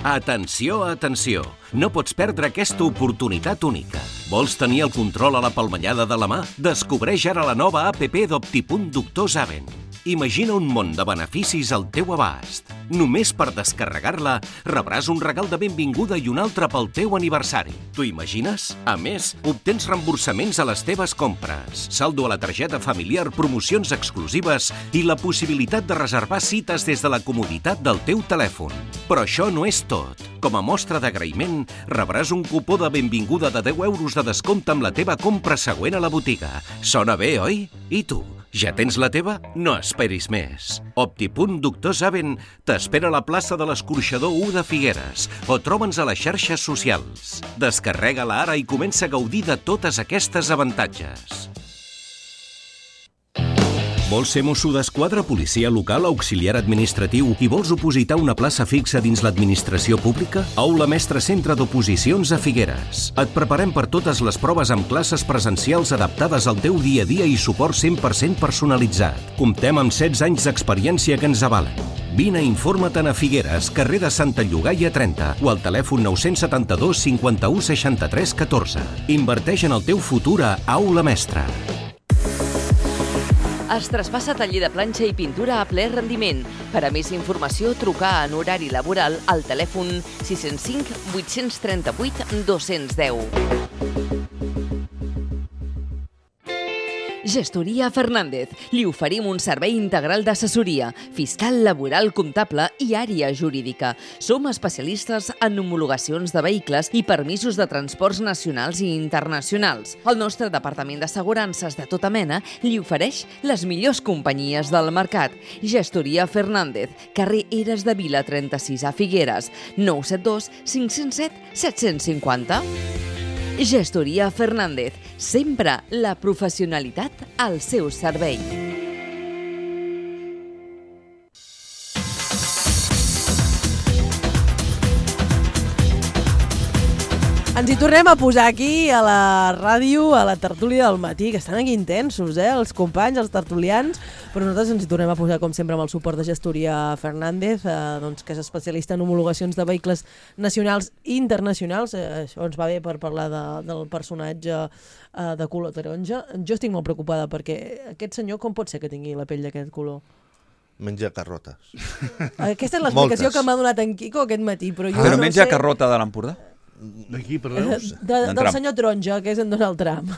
Atenció, atenció! No pots perdre aquesta oportunitat única. Vols tenir el control a la palmellada de la mà? Descobreix ara la nova app d'Optipunt Doctor Zaven. Imagina un món de beneficis al teu abast. Només per descarregar-la rebràs un regal de benvinguda i un altre pel teu aniversari. T'ho imagines? A més, obtens reemborsaments a les teves compres, saldo a la targeta familiar, promocions exclusives i la possibilitat de reservar cites des de la comoditat del teu telèfon. Però això no és tot. Com a mostra d'agraïment, rebràs un cupó de benvinguda de 10 euros de descompte amb la teva compra següent a la botiga. Sona bé, oi? I tu? Ja tens la teva? No esperis més. Optipunt Doctor Zaven t'espera a la plaça de l'Escorxador 1 de Figueres o troba'ns a les xarxes socials. Descarrega-la ara i comença a gaudir de totes aquestes avantatges. Vols ser mosso d'esquadra, policia local, auxiliar administratiu i vols opositar una plaça fixa dins l'administració pública? Aula Mestre Centre d'Oposicions a Figueres. Et preparem per totes les proves amb classes presencials adaptades al teu dia a dia i suport 100% personalitzat. Comptem amb 16 anys d'experiència que ens avalen. Vine i informa-te'n a Figueres, carrer de Santa Llogaia 30 o al telèfon 972 51 63 14. Inverteix en el teu futur a Aula Mestre. Es traspassa taller de planxa i pintura a ple rendiment. Per a més informació, trucar en horari laboral al telèfon 605 838 210. Gestoria Fernández. Li oferim un servei integral d'assessoria, fiscal, laboral, comptable i àrea jurídica. Som especialistes en homologacions de vehicles i permisos de transports nacionals i internacionals. El nostre departament d'assegurances de tota mena li ofereix les millors companyies del mercat. Gestoria Fernández, carrer Eres de Vila 36 a Figueres, 972 507 750. Gestoria Fernández, sempre la professionalitat al seu servei. Ens hi tornem a posar aquí a la ràdio, a la tertúlia del matí, que estan aquí intensos, els companys, els tertulians, però nosaltres ens hi tornem a posar, com sempre, amb el suport de Gestoria Fernández, que és especialista en homologacions de vehicles nacionals i internacionals. Això ens va bé per parlar del personatge de color taronja. Jo estic molt preocupada perquè aquest senyor com pot ser que tingui la pell d'aquest color? Menja carrotes. Aquesta és l'explicació Moltes. que m'ha donat en Quico aquest matí, però jo Però no menja sé... carrota de l'Empordà? D'aquí, per Reus? Del Trump. senyor Taronja, que és en Donald Trump.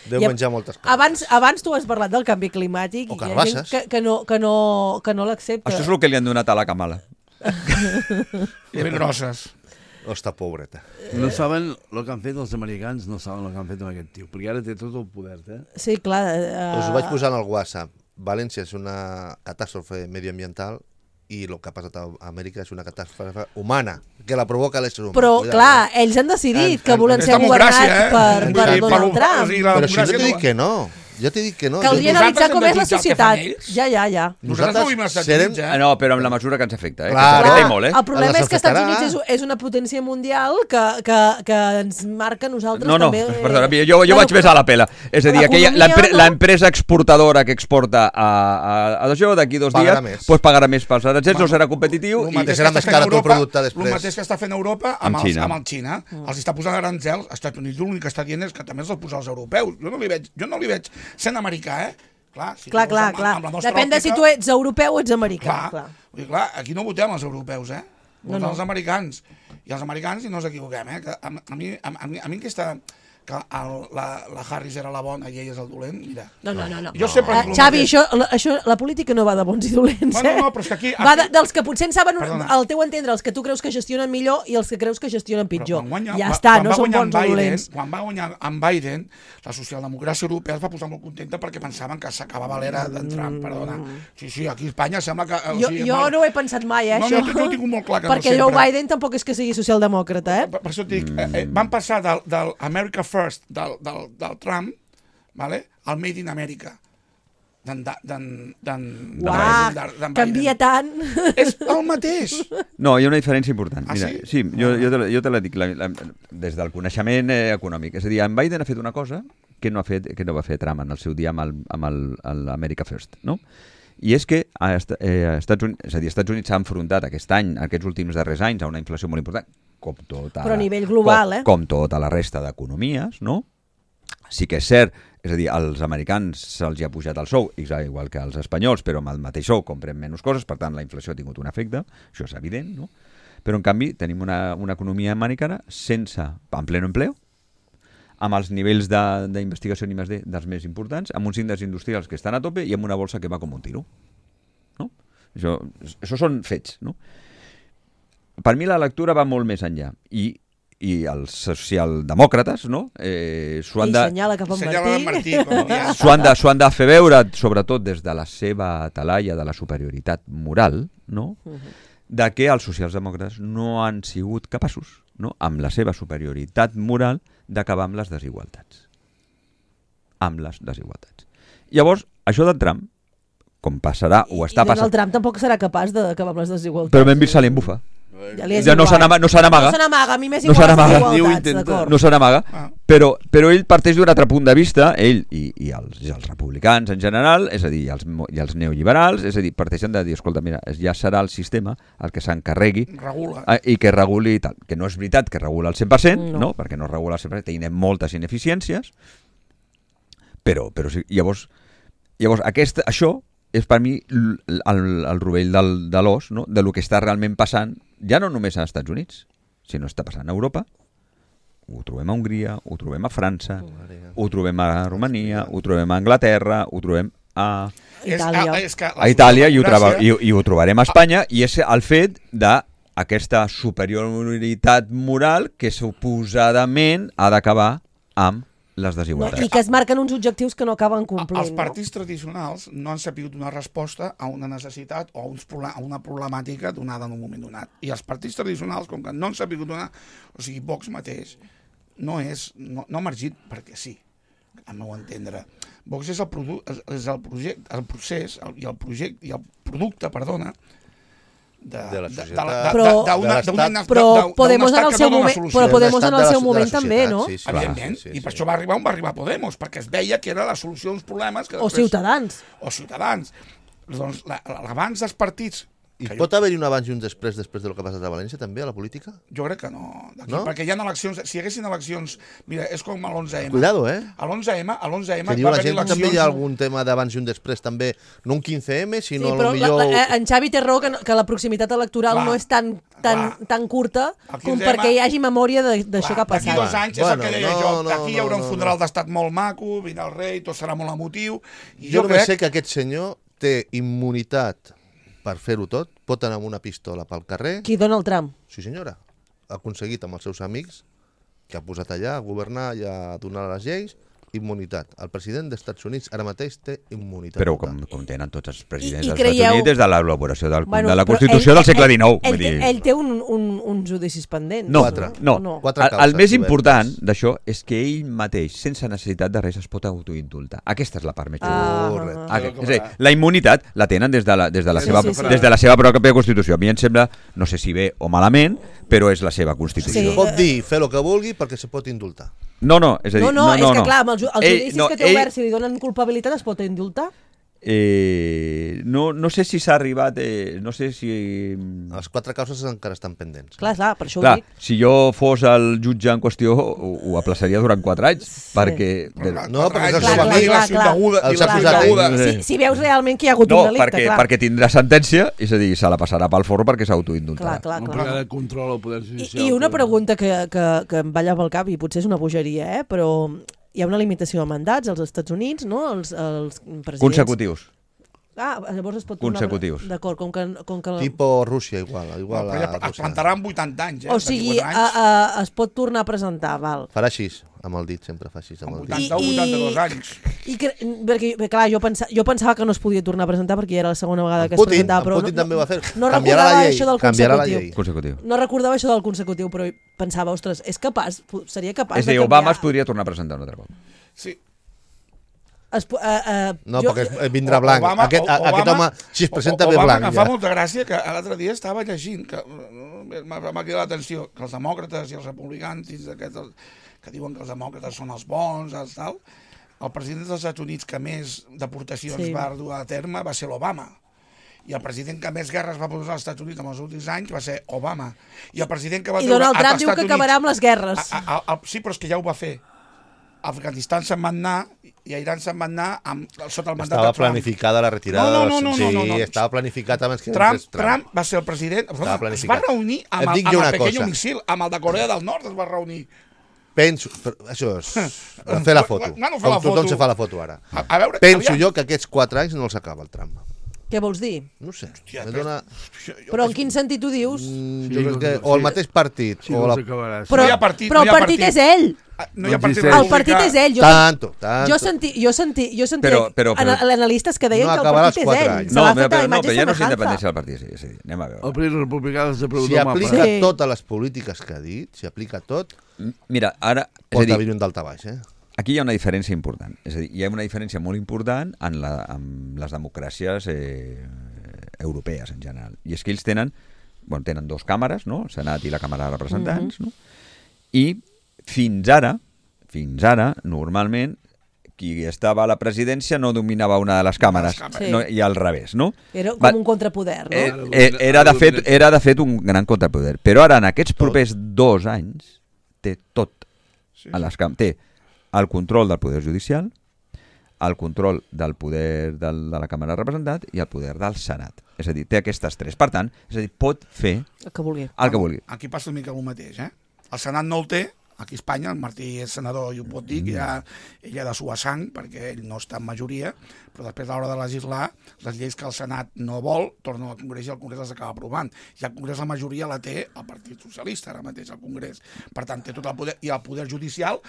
Deu I menjar moltes coses. abans tu has parlat del canvi climàtic O i hi ha gent carbasses. que no l'accepta. Això és el que li han donat a la Kamala. Ben grosses. Està pobreta. No saben el que han fet els americans, no saben el que han fet amb aquest tio, perquè ara té tot el poder, Sí, clar. Us ho vaig posar en el WhatsApp. València és una catàstrofe medioambiental i el que ha passat a Amèrica és una catàstrofe humana, que la provoca l'ésser humà. Però, Cuidado, clar, ells han decidit que volen És ser democràcia, governats per Sí, Donald Trump. o sigui, la Però si no democràcia t'he dit que no. Jo t'he dit que no. Caldria Nosaltres analitzar hem com de és la jutjar el que societat. fan ells? Ja. Nosaltres no vivim als Estats serem- Units, No, però amb la mesura que ens afecta, que Clar. ens afecta i molt, El problema Les és que Estats afectarà. Units és una potència mundial que ens marca a nosaltres No, també. perdona, jo vaig més a la pela. És a dir, L'economia, l'empresa exportadora que exporta a això d'aquí 2 Pagarà dies més. doncs pagarà més pels aranzels, no serà competitiu. El I... mateix serà que més està car fent tot el Europa, producte després. El mateix que està fent Europa Amb Xina. amb el Xina. Els està posant aranzels, als Estats Units l'únic que està dient és que també els posa als europeus. Jo no li veig sent americà, Clar, si Clar. amb la nostra Depèn de si òptica, tu ets europeu o ets americà. Clar. Vull dir, clar, aquí no votem els europeus, votem els americans. I els americans, i no ens equivoquem, que a mi aquesta... que la Harris era la bona i ell és el dolent, mira. No. Jo sempre dic el Xavi, mateix. la política no va de bons i dolents, Bueno, no, però és que aquí- Va dels que potser en saben, Perdona. al teu entendre, els que tu creus que gestionen millor i els que creus que gestionen pitjor. Però quan Ja està, no va són guanyar bons o Biden, dolents. Quan va guanyar en Biden, la socialdemocràcia europea es va posar molt contenta perquè pensaven que s'acabava l'era d'en Trump, perdona. Sí, aquí a Espanya sembla que... Jo no ho he pensat mai, No, això. jo ho tinc molt clar que no perquè sempre. Joe Biden tampoc és que sigui socialdemòcrata, Per això et dic, van passar del America First, del Trump, vale, al Made in America. Uah, canvia tant. És el mateix. No, hi ha una diferència important. Ah, Mira, sí? jo te la dic des del coneixement econòmic. És a dir, en Biden ha fet una cosa que no va fer Trump en el seu dia amb l'America First, no? I és que Estats Units s'ha enfrontat aquest any, aquests últims darrers anys, a una inflació molt important, però a nivell global, com tota la resta d'economies, no? Sí que és cert, és a dir, als americans se'ls ha pujat el sou, igual que als espanyols, però amb el mateix sou comprem menys coses, per tant la inflació ha tingut un efecte, això és evident, no? Però en canvi tenim una economia americana en pleno empleo, amb els nivells d'investigació en I+D dels més importants, amb uns índexs industrials que estan a tope i amb una bolsa que va com un tiro. No? Això són fets. No? Per mi la lectura va molt més enllà. I els socialdemòcrates s'ho han de fer veure, sobretot des de la seva talaia de la superioritat moral, no? De que els socialdemòcrates no han sigut capaços, no? Amb la seva superioritat moral, d'acabar amb les desigualtats. Llavors, això de Trump, com passarà, ho està passant... I Donald Trump tampoc serà capaç d'acabar amb les desigualtats. Però ben vist se li embufa. Ja no se n'amaga. No se n'amaga, a mi m'és igual les desigualtats, d'acord. No se n'amaga, però ell parteix d'un altre punt de vista, ell i els republicans en general, és a dir, i els neoliberals, és a dir, parteixen de dir, escolta, mira, ja serà el sistema el que s'encarregui i que reguli tal. Que no és veritat que regula al 100%, no? Perquè no regula al 100%, tenim moltes ineficiències, però sí, llavors això és per mi el rovell de l'os, no? De lo que està realment passant, ja no només als Estats Units, sinó està passant a Europa. Ho trobem a Hongria, ho trobem a França, ho trobem a Romania, ho trobem a Anglaterra, ho trobem a Itàlia i ho trobarem a Espanya, i és el fet d'aquesta superioritat moral que suposadament ha d'acabar amb les desigualtats. I que es marquen uns objectius que no acaben complint. Els partits tradicionals no han sabut donar resposta a una necessitat o a una problemàtica donada en un moment donat. I els partits tradicionals, com que no han sabut donar... O sigui, Vox mateix no ha emergit perquè sí, al meu entendre. Vox és el producte, de la societat, però Podemos en el seu moment també, no? Evidentment, i per això va arribar on va arribar Podemos, perquè es veia que era la solució als problemes que o Ciutadans. Doncs l'abans dels partits I pot haver-hi un abans i un després del que ha passat a València, també, a la política? Jo crec que no. No? Perquè hi ha eleccions... Si hi haguessin eleccions... Mira, és com a l'11M. Cuidado, A l'11M Que diu la gent que també hi ha algun tema d'abans i un després, també, no un 15M, sinó Sí, però millor... en Xavi té raó que la proximitat electoral Clar, no és tan curta El com 15M perquè hi hagi memòria d'això que ha D'aquí passat. 2 anys, és el que deia jo, d'aquí hi haurà un no. funeral d'estat molt maco, vindrà el rei, tot serà molt emotiu, i Jo jo només crec... sé que aquest senyor té immunitat per fer-ho tot, pot anar amb una pistola pel carrer. Qui dona el tram? Sí, senyora. Ha aconseguit amb els seus amics, que ha posat allà a governar i a donar les lleis, immunitat. El president dels Estats Units ara mateix té immunitat. Però com tenen tots els presidents I dels creieu- Estats Units des de l'elaboració de la però Constitució del segle XIX. Vull dir. Ell té uns judicis pendents. No, Quatre. no. No. Quatre El causes més obertes. important d'això és que ell mateix, sense necessitat de res, es pot autoindultar. Aquesta és la part més Correcte. És a dir, la immunitat la tenen des de la seva, sí, sí. des de la seva pròpia Constitució. A mi em sembla, no sé si bé o malament, però és la seva Constitució. Sí. Pot dir, fer el que vulgui perquè se pot indultar. No, és a dir, No, és que clar, amb els judicis que té ell- oberts, si li donen culpabilitat, es pot indultar? no sé si s'ha arribat, no sé si... Les 4 causes encara estan pendents. Clar, per això ho Clar, dic. si jo fos el jutge en qüestió, ho aplaçaria durant 4 anys, perquè... No, perquè és el Clar, seu clar, amic. clar, clar. Els acusats. Si veus realment que hi ha hagut No, un delicte, clar. perquè tindrà sentència, és a dir, se la passarà pel forro perquè s'autoindultarà. Clar. Un programa de control al poder judicial. I una pregunta que em balla pel cap, i potser és una bogeria, però hi ha una limitació de mandats als Estats Units, no? Els presidents... Consecutius. Llavors es pot tornar... Consecutius. D'acord, com que... Tipo Rússia, igual. Però ja es plantarà amb 80 anys, O sigui, d'aquí 4 anys. es pot tornar a presentar, val. Farà així, amb el dit, sempre fa així, amb el dit. 82 anys. Perquè, clar, jo pensava que no es podia tornar a presentar perquè ja era la segona vegada que es Putin, presentava, però Putin també va fer. no Canviarà recordava la llei, això del canviarà la consecutiu. llei. Consecutiu. No recordava això del consecutiu, però pensava, ostres, és capaç, seria capaç És a dir, de Obama canviar... es podria tornar a presentar un altre cop. Sí. No, perquè vindrà blanc. Obama- Aquest home, si es presenta bé Obama, blanc, em fa ja. molta gràcia que l'altre dia estava llegint, que m'ha cridat l'atenció, que els demòcrates i els republicans, que diuen que els demòcrates són els bons, els tal, el president dels Estats Units que més deportacions va dur a terme va ser l'Obama. I el president que més guerres va posar als Estats Units en els últims anys va ser Obama. I el president que va I Donald Trump diu que acabarà amb les guerres. Sí, però és que ja ho va fer. Afganistan se'n van anar i a Iran se'n van anar sota el mandat de Estava Trump. planificada la retirada. No. Sí, estava planificat abans que Trump va ser el president. Es va planificat. reunir amb Et dic el jo una Pequeño cosa. Missil, amb el de Corea del Nord es va reunir. Penso, això és fer la foto, Bueno, fer com la tothom foto. se fa la foto ara. A veure, Penso aviam. jo que aquests 4 anys no els acaba el Trump. Què vols dir? No ho sé. Hòstia, Me dona... Però en quin sentit ho dius? Jo crec que o el mateix partit Sí, o no la... s'acabarà. Però, no hi ha partit, però no hi ha el partit partit. és ell. No hi ha No partit existeix. El partit és ell. Tanto. Jo sentia Però- analistes que deien No que el acabarà partit els és 4 ell. anys. Se l'ha fet a la però imatge ja no és semejanza. independència del partit. Sí, anem a El veure. Partit Republicà de Si preguntar aplica Sí. totes les polítiques que ha dit, si aplica tot, Mira, ara... És a pot dir, haver un daltabaix, aquí hi ha una diferència important. És a dir, hi ha una diferència molt important en les democràcies europees en general. I és que ells tenen 2 càmeres, no? El Senat i la Càmera de Representants, no? I fins ara, normalment, qui estava a la presidència no dominava una de les càmeres, Sí. no, i al revés, no? Era com Va- un contrapoder, no? Era de fet un gran contrapoder. Però ara, en aquests propers 2 anys, té tot. A les té el control del poder judicial, el control del poder de la Càmera de Representants i el poder del Senat. És a dir, té aquestes 3. Per tant, pot fer El que vulgui. el que vulgui. Aquí passa una mica el mateix, El Senat no el té, aquí a Espanya, el Martí és senador i ho pot dir, que ell ha de suar sang, perquè ell no està en majoria, però després a l'hora de legislar, les lleis que el Senat no vol, tornen al Congrés i el Congrés les acaba aprovant. I al Congrés la majoria la té el Partit Socialista, ara mateix, al Congrés. Per tant, té tot el poder. I el poder judicial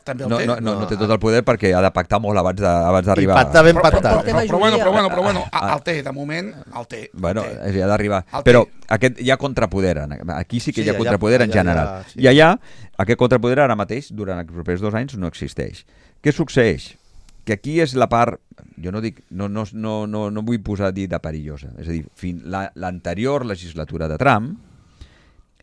també el té. No té tot el poder perquè ha de pactar molt abans d'arribar. I pactar ben Però pactat. bueno, el té, de moment, el té. Bueno, el té. ha d'arribar. El té. Però hi ha contrapoder. Aquí sí que hi ha contrapoder en general. sí. I allà, aquest contrapoder ara mateix, durant els propers 2 anys, no existeix. Què succeeix? Que aquí és la part, jo no dic, no vull posar dir de perillosa. És a dir, l'anterior legislatura de Trump,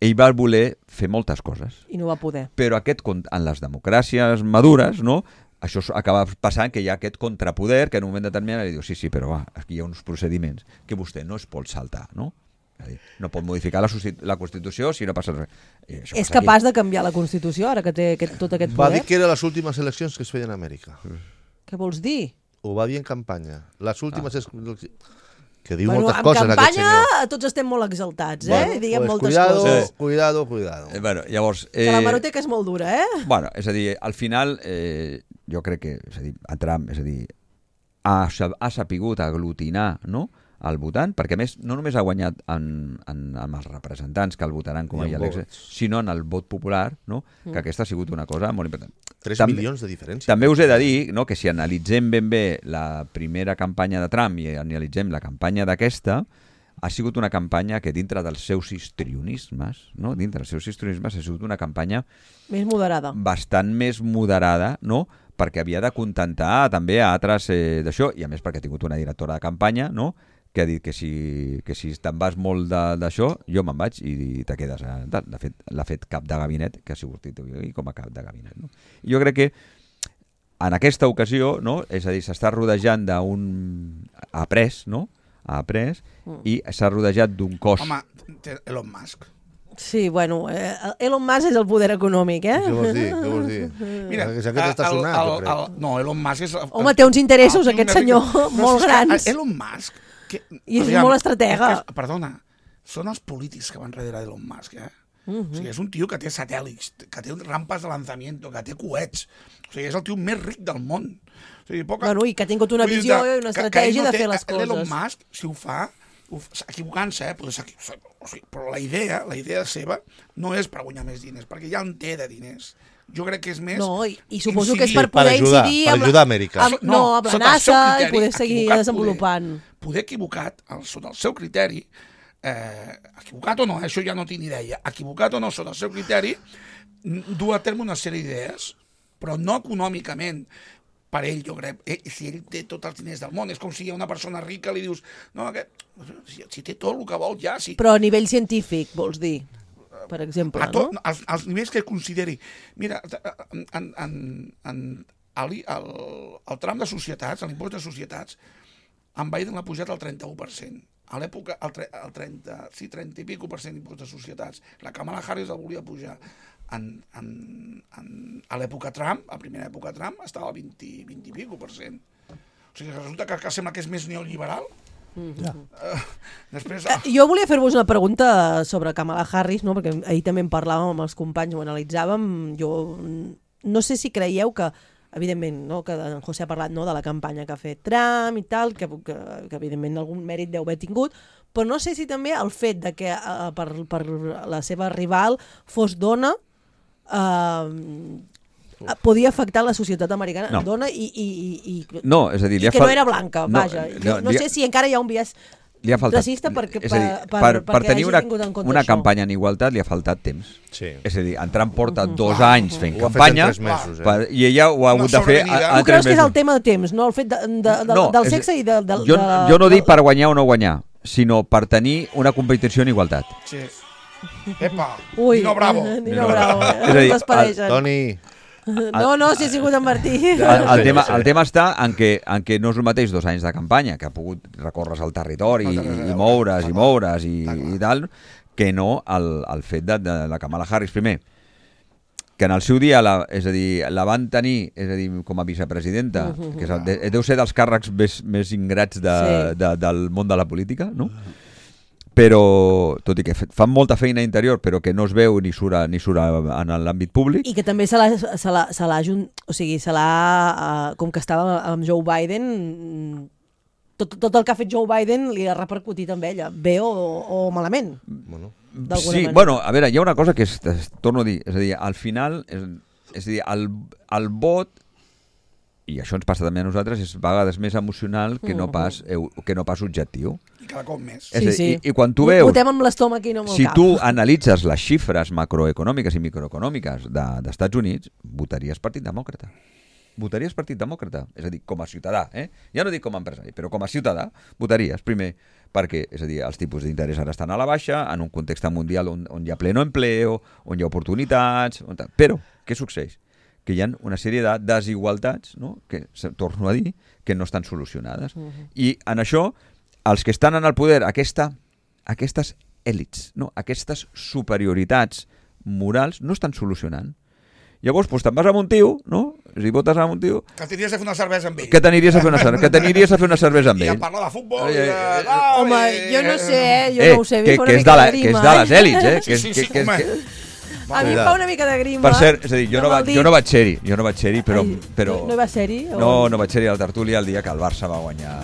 ell va voler fer moltes coses. I no va poder. Però en les democràcies madures, no? això acaba passant que hi ha aquest contrapoder que en un moment determinat li diu sí, però va, aquí hi ha uns procediments que vostè no es pot saltar, no? És a dir, no pot modificar la Constitució si no passa res. És capaç de canviar la Constitució ara que té tot aquest Va poder? dir que eren les últimes eleccions que es feien a Amèrica. Què vols dir? Ho va dir en campanya. Les últimes... Que diu Bueno, moltes en coses aquest senyor. campanya tots estem molt exaltats, Bueno, diguem pues moltes cuidado, coses. Cuidado. Bueno, llavors... Que la maroteca és molt dura, Bueno, és a dir, al final, jo crec que, és a dir, a Trump, és a dir, ha sapigut aglutinar, no?, el votant, perquè a més no només ha guanyat amb els representants que el votaran com a elecció, sinó en el vot popular, no? Que aquesta ha sigut una cosa molt important. 3 milions de diferència. També us he de dir, no?, que si analitzem ben bé la primera campanya de Trump i analitzem la campanya d'aquesta, ha sigut una campanya que dintre dels seus histrionismes, no?, dintre dels seus histrionismes ha sigut una campanya més moderada. Bastant més moderada, no?, perquè havia de contentar també a altres d'això, i a més perquè ha tingut una directora de campanya, no?, que ha dit que si te'n vas molt d'això, jo me'n vaig i te quedes. De fet, l'ha fet cap de gabinet, que ha sigut com a cap de gabinet. No? I jo crec que en aquesta ocasió, no? És a dir, s'està rodejant d'un... Ha après, no? Ha après i s'ha rodejat d'un cos... Home, té Elon Musk. Sí, bueno, Elon Musk és el poder econòmic, Què vols dir? Mira, aquest està sonant, no, Elon Musk és... Home, té uns interessos, aquest senyor, molt grans. Elon Musk... I és molt estratega. Perdona, són els polítics que van darrere d'Elon Musk, O sigui, és un tio que té satèl·lits, que té rampes de lanzamiento, que té coets. O sigui, és el tio més ric del món. O sigui, Bueno, i que ha tingut una visió i una estratègia de fer les coses. Elon Musk, si ho fa, equivocant-se, però la idea seva no és per guanyar més diners, perquè ja en té de diners. Jo crec que és més... No, i suposo que és per poder incidir... Per ajudar Amèrica. Amb la NASA i poder seguir desenvolupant. Poder equivocat, sota el seu criteri, equivocat o no, això ja no tinc ni idea, equivocat o no sota el seu criteri, dur a terme una sèrie d'idees, però no econòmicament, per ell, jo crec, si ell té tots els diners del món, és com si hi ha una persona rica li dius, no, si té tot el que vol ja... Si... Però a nivell científic, vols dir? Per exemple, no? Als nivells que consideri. Mira, el tram de societats, l'impost de societats, en Biden l'ha pujat al 31%. A l'època, el 30 i pico % d'impost de societats. La Kamala Harris el volia pujar. A l'època Trump, a primera època Trump, estava al 20 i pico %. O sigui, resulta que sembla que és més neoliberal. Després... Jo volia fer-vos una pregunta sobre Kamala Harris, no? Perquè ahir també en parlàvem amb els companys, ho analitzàvem. Jo no sé si creieu que, evidentment, no? Que en José ha parlat, no? De la campanya que ha fet Trump i tal, que evidentment algun mèrit deu haver tingut, però no sé si també el fet de que per la seva rival fos dona podia afectar la societat americana dona i no, és a dir, que no era blanca, vaja. No sé si encara hi ha un biaix racista perquè tenir hagi tingut en compte una això. campanya en igualtat li ha faltat temps. Sí. És a dir, en Trump porta 2 anys fent campanya i ella ho ha hagut de fer en 3 mesos. Tu creus que és el tema de temps, no? El fet del sexe i del... Jo no dic per guanyar o no guanyar, sinó per tenir una competició en igualtat. Sí. Epa, Ui, Nino Bravo. Nino Bravo. És a dir, Toni... No, si ha sigut en Martí. El tema està en què no és el mateix 2 anys de campanya, que ha pogut recórrer al territori i moure's i tal, que no el fet de la Kamala Harris. Primer, que en el seu dia és a dir, la van tenir com a vicepresidenta, que deu ser dels càrrecs més ingrats del món de la política, no? Però, tot i que fan molta feina interior, però que no es veu ni surt en l'àmbit públic. I que també se l'ha com que estava amb Joe Biden, tot el que ha fet Joe Biden li ha repercutit amb ella, bé o malament. Sí, bueno, a veure, hi ha una cosa que torno a dir, és a dir, al final, és a dir, el vot, i això ens passa també a nosaltres, és a vegades més emocional que no pas objectiu. I cada cop més. I quan tu veus... Votem amb l'estómac i no amb el cap. Si tu analitzes les xifres macroeconòmiques i microeconòmiques d'Estats Units, votaries Partit Demòcrata. Votaries Partit Demòcrata. És a dir, com a ciutadà, ja no dic com a empresari, però com a ciutadà votaries. Primer, perquè, és a dir, els tipus d'interès ara estan a la baixa, en un context mundial on hi ha pleno empleo, on hi ha oportunitats... Però, què succeeix? que hi ha una sèrie de desigualtats, no? Que, torno a dir, que no estan solucionades. I en això, els que estan en el poder, aquestes èlits, no? Aquestes superioritats morals no estan solucionant. Llavors, doncs, te'n vas amb un tio, no? Si votes amb un tio... Que t'aniries a fer una cervesa amb ell. Que t'aniries a fer una cervesa amb ell. I a parlar de futbol. Home, jo no sé, jo no ho sé. Que és de les èlits, Sí, home. A mi em fa una mica de grima. Per cert, és a dir, jo no vaig ser-hi, però... No hi va ser-hi? No vaig ser-hi a la tertúlia el dia que el Barça va guanyar.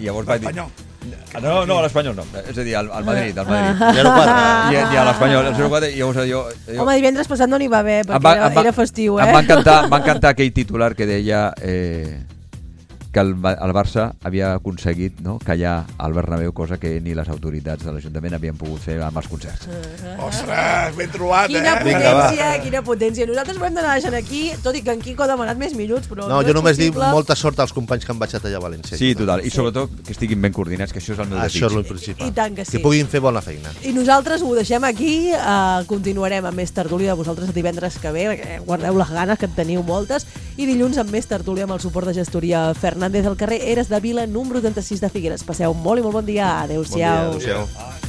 I llavors vaig dir... No, l'Espanyol no. És a dir, al Madrid. 0-4. I a l'Espanyol, el 0-4. I llavors jo... Home, divendres passat no n'hi va haver, perquè era festiu, Em va encantar aquell titular que deia que el Barça havia aconseguit, no, callar al Bernabéu, cosa que ni les autoritats de l'Ajuntament havien pogut fer amb els concerts. Ostres, ben trobat, Quina potència. Nosaltres ho hem d'anar deixant aquí, tot i que en Quico ha demanat més minuts, però no, jo només dic molta sort als companys que han baixat allà a València. Sí, total. I sobretot que estiguin ben coordinats, que això és el meu desig. Això és el principal. I tant que sí. Que puguin fer bona feina. I nosaltres ho deixem aquí, continuarem amb més tertúlia de vosaltres divendres que ve, perquè guardeu les ganes, que en teniu moltes, i dilluns amb més tertúlia amb el suport de gestoria Fernández al carrer Eres de Vila, número 36 de Figueres. Passeu molt i molt bon dia. Adéu-siau. Bon dia, adéu-siau.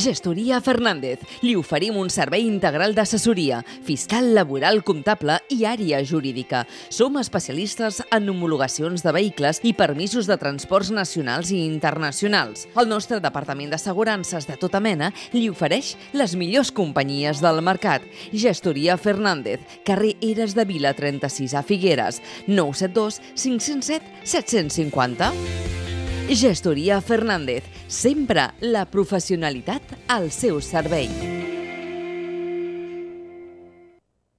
Gestoria Fernández. Li oferim un servei integral d'assessoria, fiscal, laboral, comptable i àrea jurídica. Som especialistes en homologacions de vehicles i permisos de transports nacionals i internacionals. El nostre departament d'assegurances de tota mena li ofereix les millors companyies del mercat. Gestoria Fernández, carrer Eres de Vila 36 a Figueres, 972 507 750. Gestoria Fernández, sempre la professionalitat al seu servei.